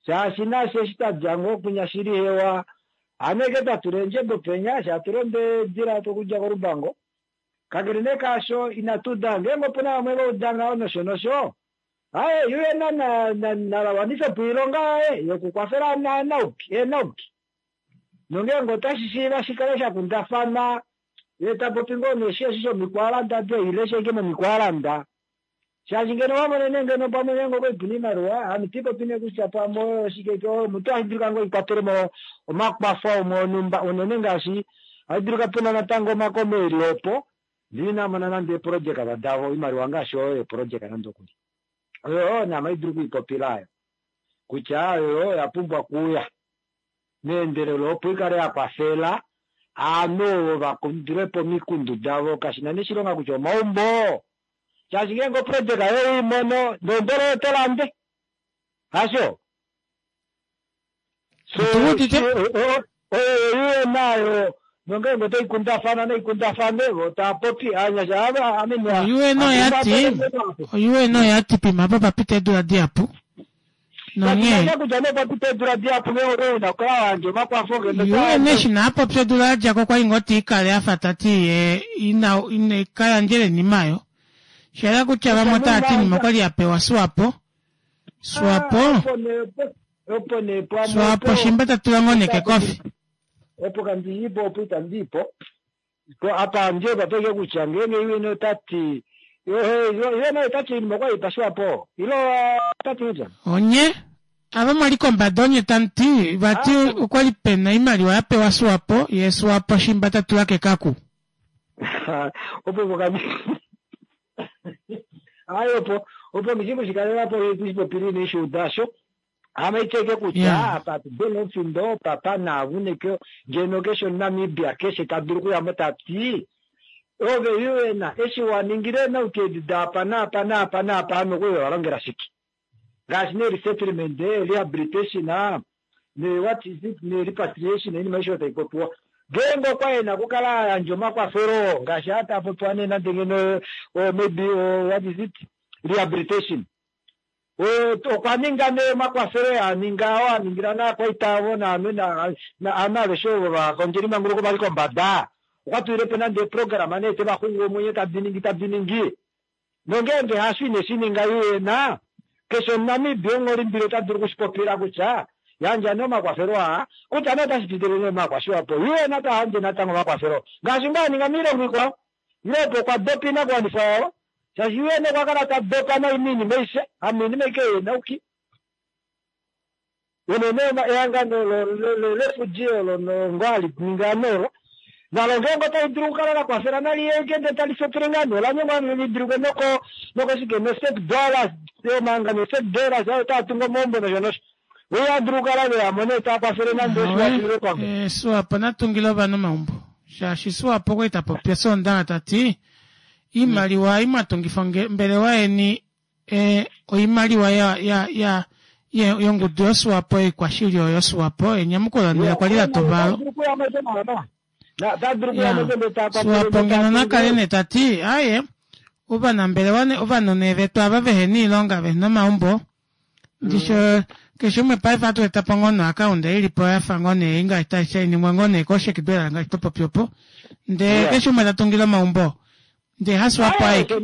Shaashi nafye eshi twa dja ngoo kwinya shili hewa, hano ashike twa tula eendjebo penya, eshi hatu londo eedila okudja kOlubango. Kakele nee kaasho, inatu uda ngeenge opu na vamwe va uda ngaho nosho nosho. Aaye, UN na wanife po oilonga yaye yokukwafela eenauki. Nongeenge otashi shiiva shi kale sha kundafanwa, ye ta popi ngoo nee eshi shomikwaalanda ile ashike momikwaalanda. Shaashi ngeno wa monene ngeno pamwe ngeenge okwa puna oimaliwa, hano ito popi nee kutya pamwe oyo oshike ke oyo omuntu ohashi dulika ngoo ikwatele mo omakwafo amwe onhumba unene ngaashi ohashi dulika puna natango omakoma eli opo ndele inaa mona nande eeprojeka davo oimaliwa ngaashi oyo yeeprojeka nande okuli. Oyo oyo nee ame ohandi dulu okuipopila ayo kutya oyo oya pumbwa okuuya meendelelo opo i kale ya kwafela aanhu ovo va kandule po omikundu davo kashina nee oshilonga kutya omaumbo Shaashi ngeenge oprojeka yoye we i mono, neumbo loye oto lande. Hasho? So, oyo UN ayo, nongeenge otai kundafana nai kundafane, vo tava popi, aanyasha ava, I mean, UN oya ti, UN oya ti pima apa pa pita eedula dihapu. Nonghee. Kutya nee pa pita eedula dihapu ngeenge owe una okukala wa yandja omakwafo ngeno ta UN eshi naa popya odula ya dja ko okwa li ngoo te i kale a fa ta ti ye ina ine ka yandjele oinima oyo. Sha yela kutya vamwe otava ti oinima okwa li ya pewa Swapo. Swapo. Opo nee pamwe Swapo shimba ta tula ngoo neke kofi. Opo kandi ipo opo itandi ipo. Apa ndi opa peke kutya ngeenge UN ota ti UN ota ti oinima okwa li pashiwa po ile ota ti kutya Onye ava mwali kombada onye tamu ti vati okwa li pena oimaliwa ya pewa Swapo ye Swapo shimba ta tula kekaku. opo opo kandi ayi opo opo ngishi kushikalela po kushipopili ine shi uda sho Ame iteke kutya Yeah. apa tubena omufindo papa naavuneke ngeno keshe omuNamibia keshe ta dulu okuya mo ta ti ove UN eshi wa ningile eenauki edi daapa naapa naapa naapa ame okwali wa longela shike ngaashi nee resettlement, rehabilitation ne what is it ne repatriation oinima aishe oyo tai popiwa. Ngeenge okwa e na okukala a yandja omakwafelo oo ngaashi aa taa popiwa nee nande ngeno maybe what is it rehabilitation okwa ninga nee omakwafelo ee a ninga oo a ningila naakwaita avo naanhu naanhu aveshe ovo vakondjelimanguluko vali kombada. Okwa tulile po nande eeprograma nee te va xungu omwenyo tadi ningi tadi ningi. Nongeenge hasho ine shi ninga UN, keshe Omunamibia omuholimbili ota dulu okushipopila kutya yandja nee omakwafelo aa, kutya nee otashi pitile nee maakwashiwapo. UN ta yandje natango omakwafelo ngaashi ngaa a ninga miilongo ikwao. Ile opo okwa dopa oinakuwanifwa yawo, shaashi UN okwa kala ta dopa nai moinima aishe, hamoinima ashike yeenauki. Unene ehangano lefudji olo ngoo hali ningi ovanhu olo, nalo ngeenge otali dulu okukala la kwafela nali ye ashike ndele tali fetele ngaa nee ola nyengwa li dulike noko nokoshike noSec Dollars omahangano oSec Dollars ayo otaa tungu omaumbo nosho nosho. Vo ihava dulu okukala ve ya mo nee taa kwafele nande oshiwafilwe pamwe. Eh, Swapo na tungile ovanhu omaumbo shaashi Swapo okwali ta popi Osoondaxa ta ti iimaliwa ei mwa tungifa ombelewa yeni E, oimaliwa ya, ya, ya, yongudu yoSwapo yoikwashilyo yoSwapo enyamukulo nee okwa li la tuva Swapo ngeno na kale nee ta ti aye ovanambelewa ne ovanhu nee vetu ava vehena oilonga vehena omaumbo ndisho keshe umwe paife ohatu eta po ngoo noakaunda ili po yafa ngoo nee ngaashi tashi shainingwa ngoo nee koshekidwela ngaashi to popi opo ndee keshe umwe ta tungile omaumbo ndee haSwapo aeke.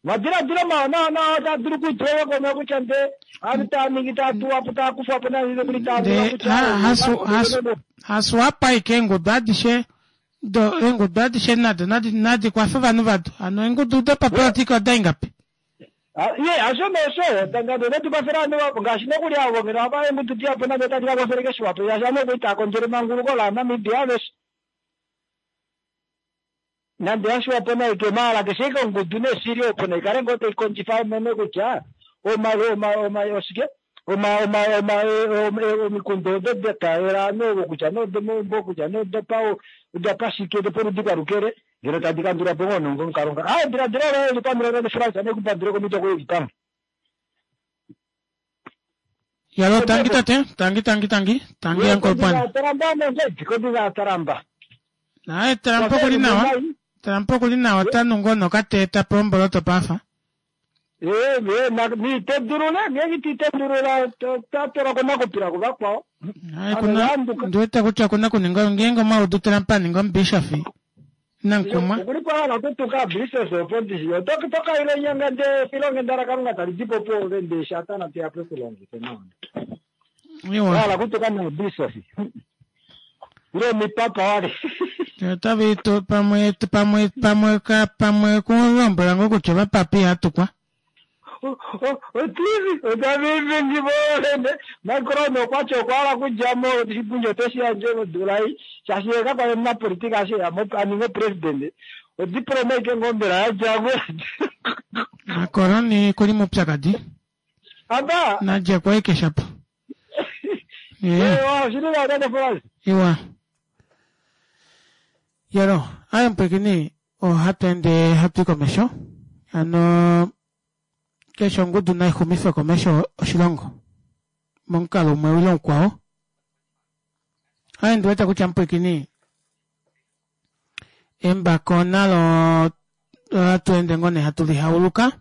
Omadiladilo mawanawa otaa dulu okutulwa komeho kutya ndee ovanhu tava ningi tava tuwa po tava kufwa po nande nokuli tava Ndee kutya ha- hasu hasu hasu apa aike eengudu adishe do eengudu adishe nado nadi nadi kwafe ovanhu vado hano eengudu dopapolitika oda ingapi Ye hasho nosho nande otadi kwafele ovanhu vapo ngaashi nokuli avo ngeno ava eengudu dihapu nande otadi ka kwafele keshe wapo shaashi ovanhu okuli tava kondjele emanguluko laaNamibia aveshe. Nande ya shiwa po nai ke maala keshe ike ongudu nee shili opo nai kale ngoo tai kondjifa imone kutya oma oma oma oshike oma oma oma omikundu odo da taalela ovanhu ovo kutya nee odomaumbo kutya nee odopa odapashike dopoludi kwalukele ngeno tadi kandulwa po ngoo nongomukalo nga. Aa ediladilo loye eli pamwe tate Frans ne ku pandule komito koye ili pamwe. Yalo tangi tate, tangi tangi tangi, tangi uncle Bwana. Taramba nonge kombinga yaTaramba. Naye Trump oku li nawa. Trump oku li nawa ota nu ngoo nokatee ta pe omboloto pafa. Ee, ee, na niitendulula, ngeenge ito itendulula ota twalwa komakupila kuvakwao. Naye kuna ndi wete kutya okuna okuninga ngeenge omwa udu Trump a ninga omubishofi Nankumwa. Okuli po hala okutuka bishop opo ndishi. Oto to kaila onyanga ndee efilonghenda laKalunga tali di po pwoove ndee Satana te ya po e ku longife nawa. Iwa. Wa hala okutuka naabishop. Ile omipapa wali. Otava itu pamwe pamwe pamwe ka pamwe ku lombwela ngoo kutya ovapapa iha tukwa. Otivi otavivingi voovene. Macron okwa ti okwa hala okudja mo oshipundi ote shi yandje modula ei shaashi ye kakwali omunapolitika eshi eya mo a ninga opresidente. Odiploma aike ngoo mbela ya dja mo. Macron okuli moupyakadi. Aba. Nadje ko aike shapo. Ewa, oshili nawa tate Frans. Iwa. Yalo, aye mpwekini ohatu ende hatu i komesho. Hano keshe ongudu nai xumife komesho oshilongo momukalo umwe ile mukwao. Aye ndi wete kutya mpwekini embako nalo ohatu ende ngoo nee hatu lihauluka.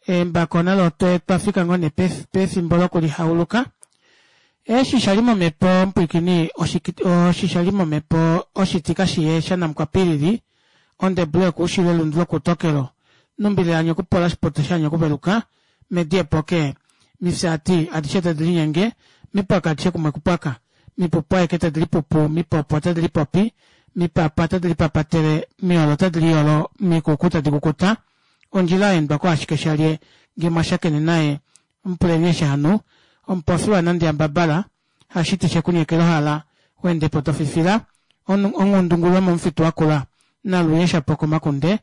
Embako nalo otwe twa fika ngoo nee pefimbo lokulihauluka. Eshi sha li momhepo mpwikini oshi sha li momhepo oshiti kashiye shanamukwapilili ondebule yokuushilo elundu lokuutokelo numbile yanyu okupola oshipoto shanyu okuveluka medi epoke mifyaati adishe tadi linyenge mipwaka adishe kumwe kupwaka mipupu aike tadi lipupu mipopo otadi lipopi mipapa otadi lipapatele miolo otadi liyolo mikuku tadi kukuta Ondjila ya endwa ko ashike shalye nge mwa shakene naye mupuleni eshi ha nu. Omupofi wa nande yambabala hashiti she ku nyekela ohala u ende po to fifila. Onghundungulu yomomufitu wa kula naluye sha poka omakunde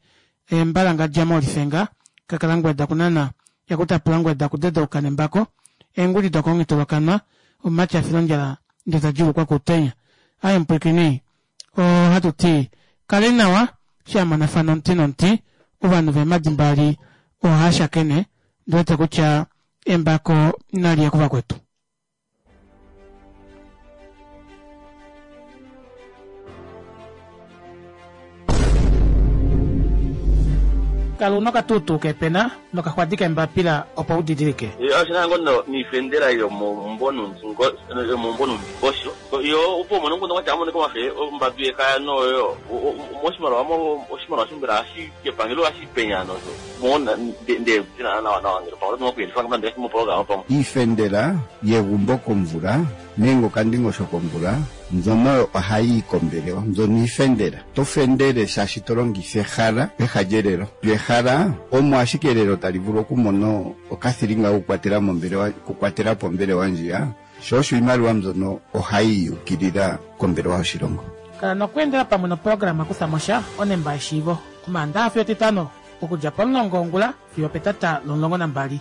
eembalangadja moolifenga kakalangweda kunana yakutapula ngweda kudedauka nembako eenguli dokonghitolokanwa omumati a fila ondjala nde ta djuulukwa kuutenya. Aye mupwilikini Ohatu ti, Kaleni nawa, eshi a monafana omuti nomuti, ovanhu veemhadi mbali ohaa shakene, ndi wete kutya embako nali ye kuvakwetu. Kala una okatuutuu keepena nokaxwadi keembapila opo u didilike. Oshina ngo no niifendela yomomumbo yomomumbo nuundingosho yo opo umone omukundu kwatya amonike omafe ombadu yekaya noyo moshimaliwa mo oshimaliwa shombela hashi kepangelo hashi penya nosho mo nde nawa nawa ngele pamwe oto kuyelifa nande moprograma pamwe. Iifendela yegumbo komvula nenge okandingosho komvula mbyono oyo ohayi yi kombelewa. Mbyono iifendela. To fendele shaashi to longitha ehala peha lyelelo. Lyo ehala omo ashike elelo tali vulu okumona okathilinga kokukwatela mombelewa, okukwatela po ombelewa ndjiya, sho osho iimaliwa mbyono ohayi yi yuukilila kombelewa yoshilongo. Kala nokweendela pamwe noprograma Kutha mo sha, Onemba yeshiivo, Omaandaha fiyo Etitano, okudja pomulongo wongula fiyo opetata lomulongo nambali.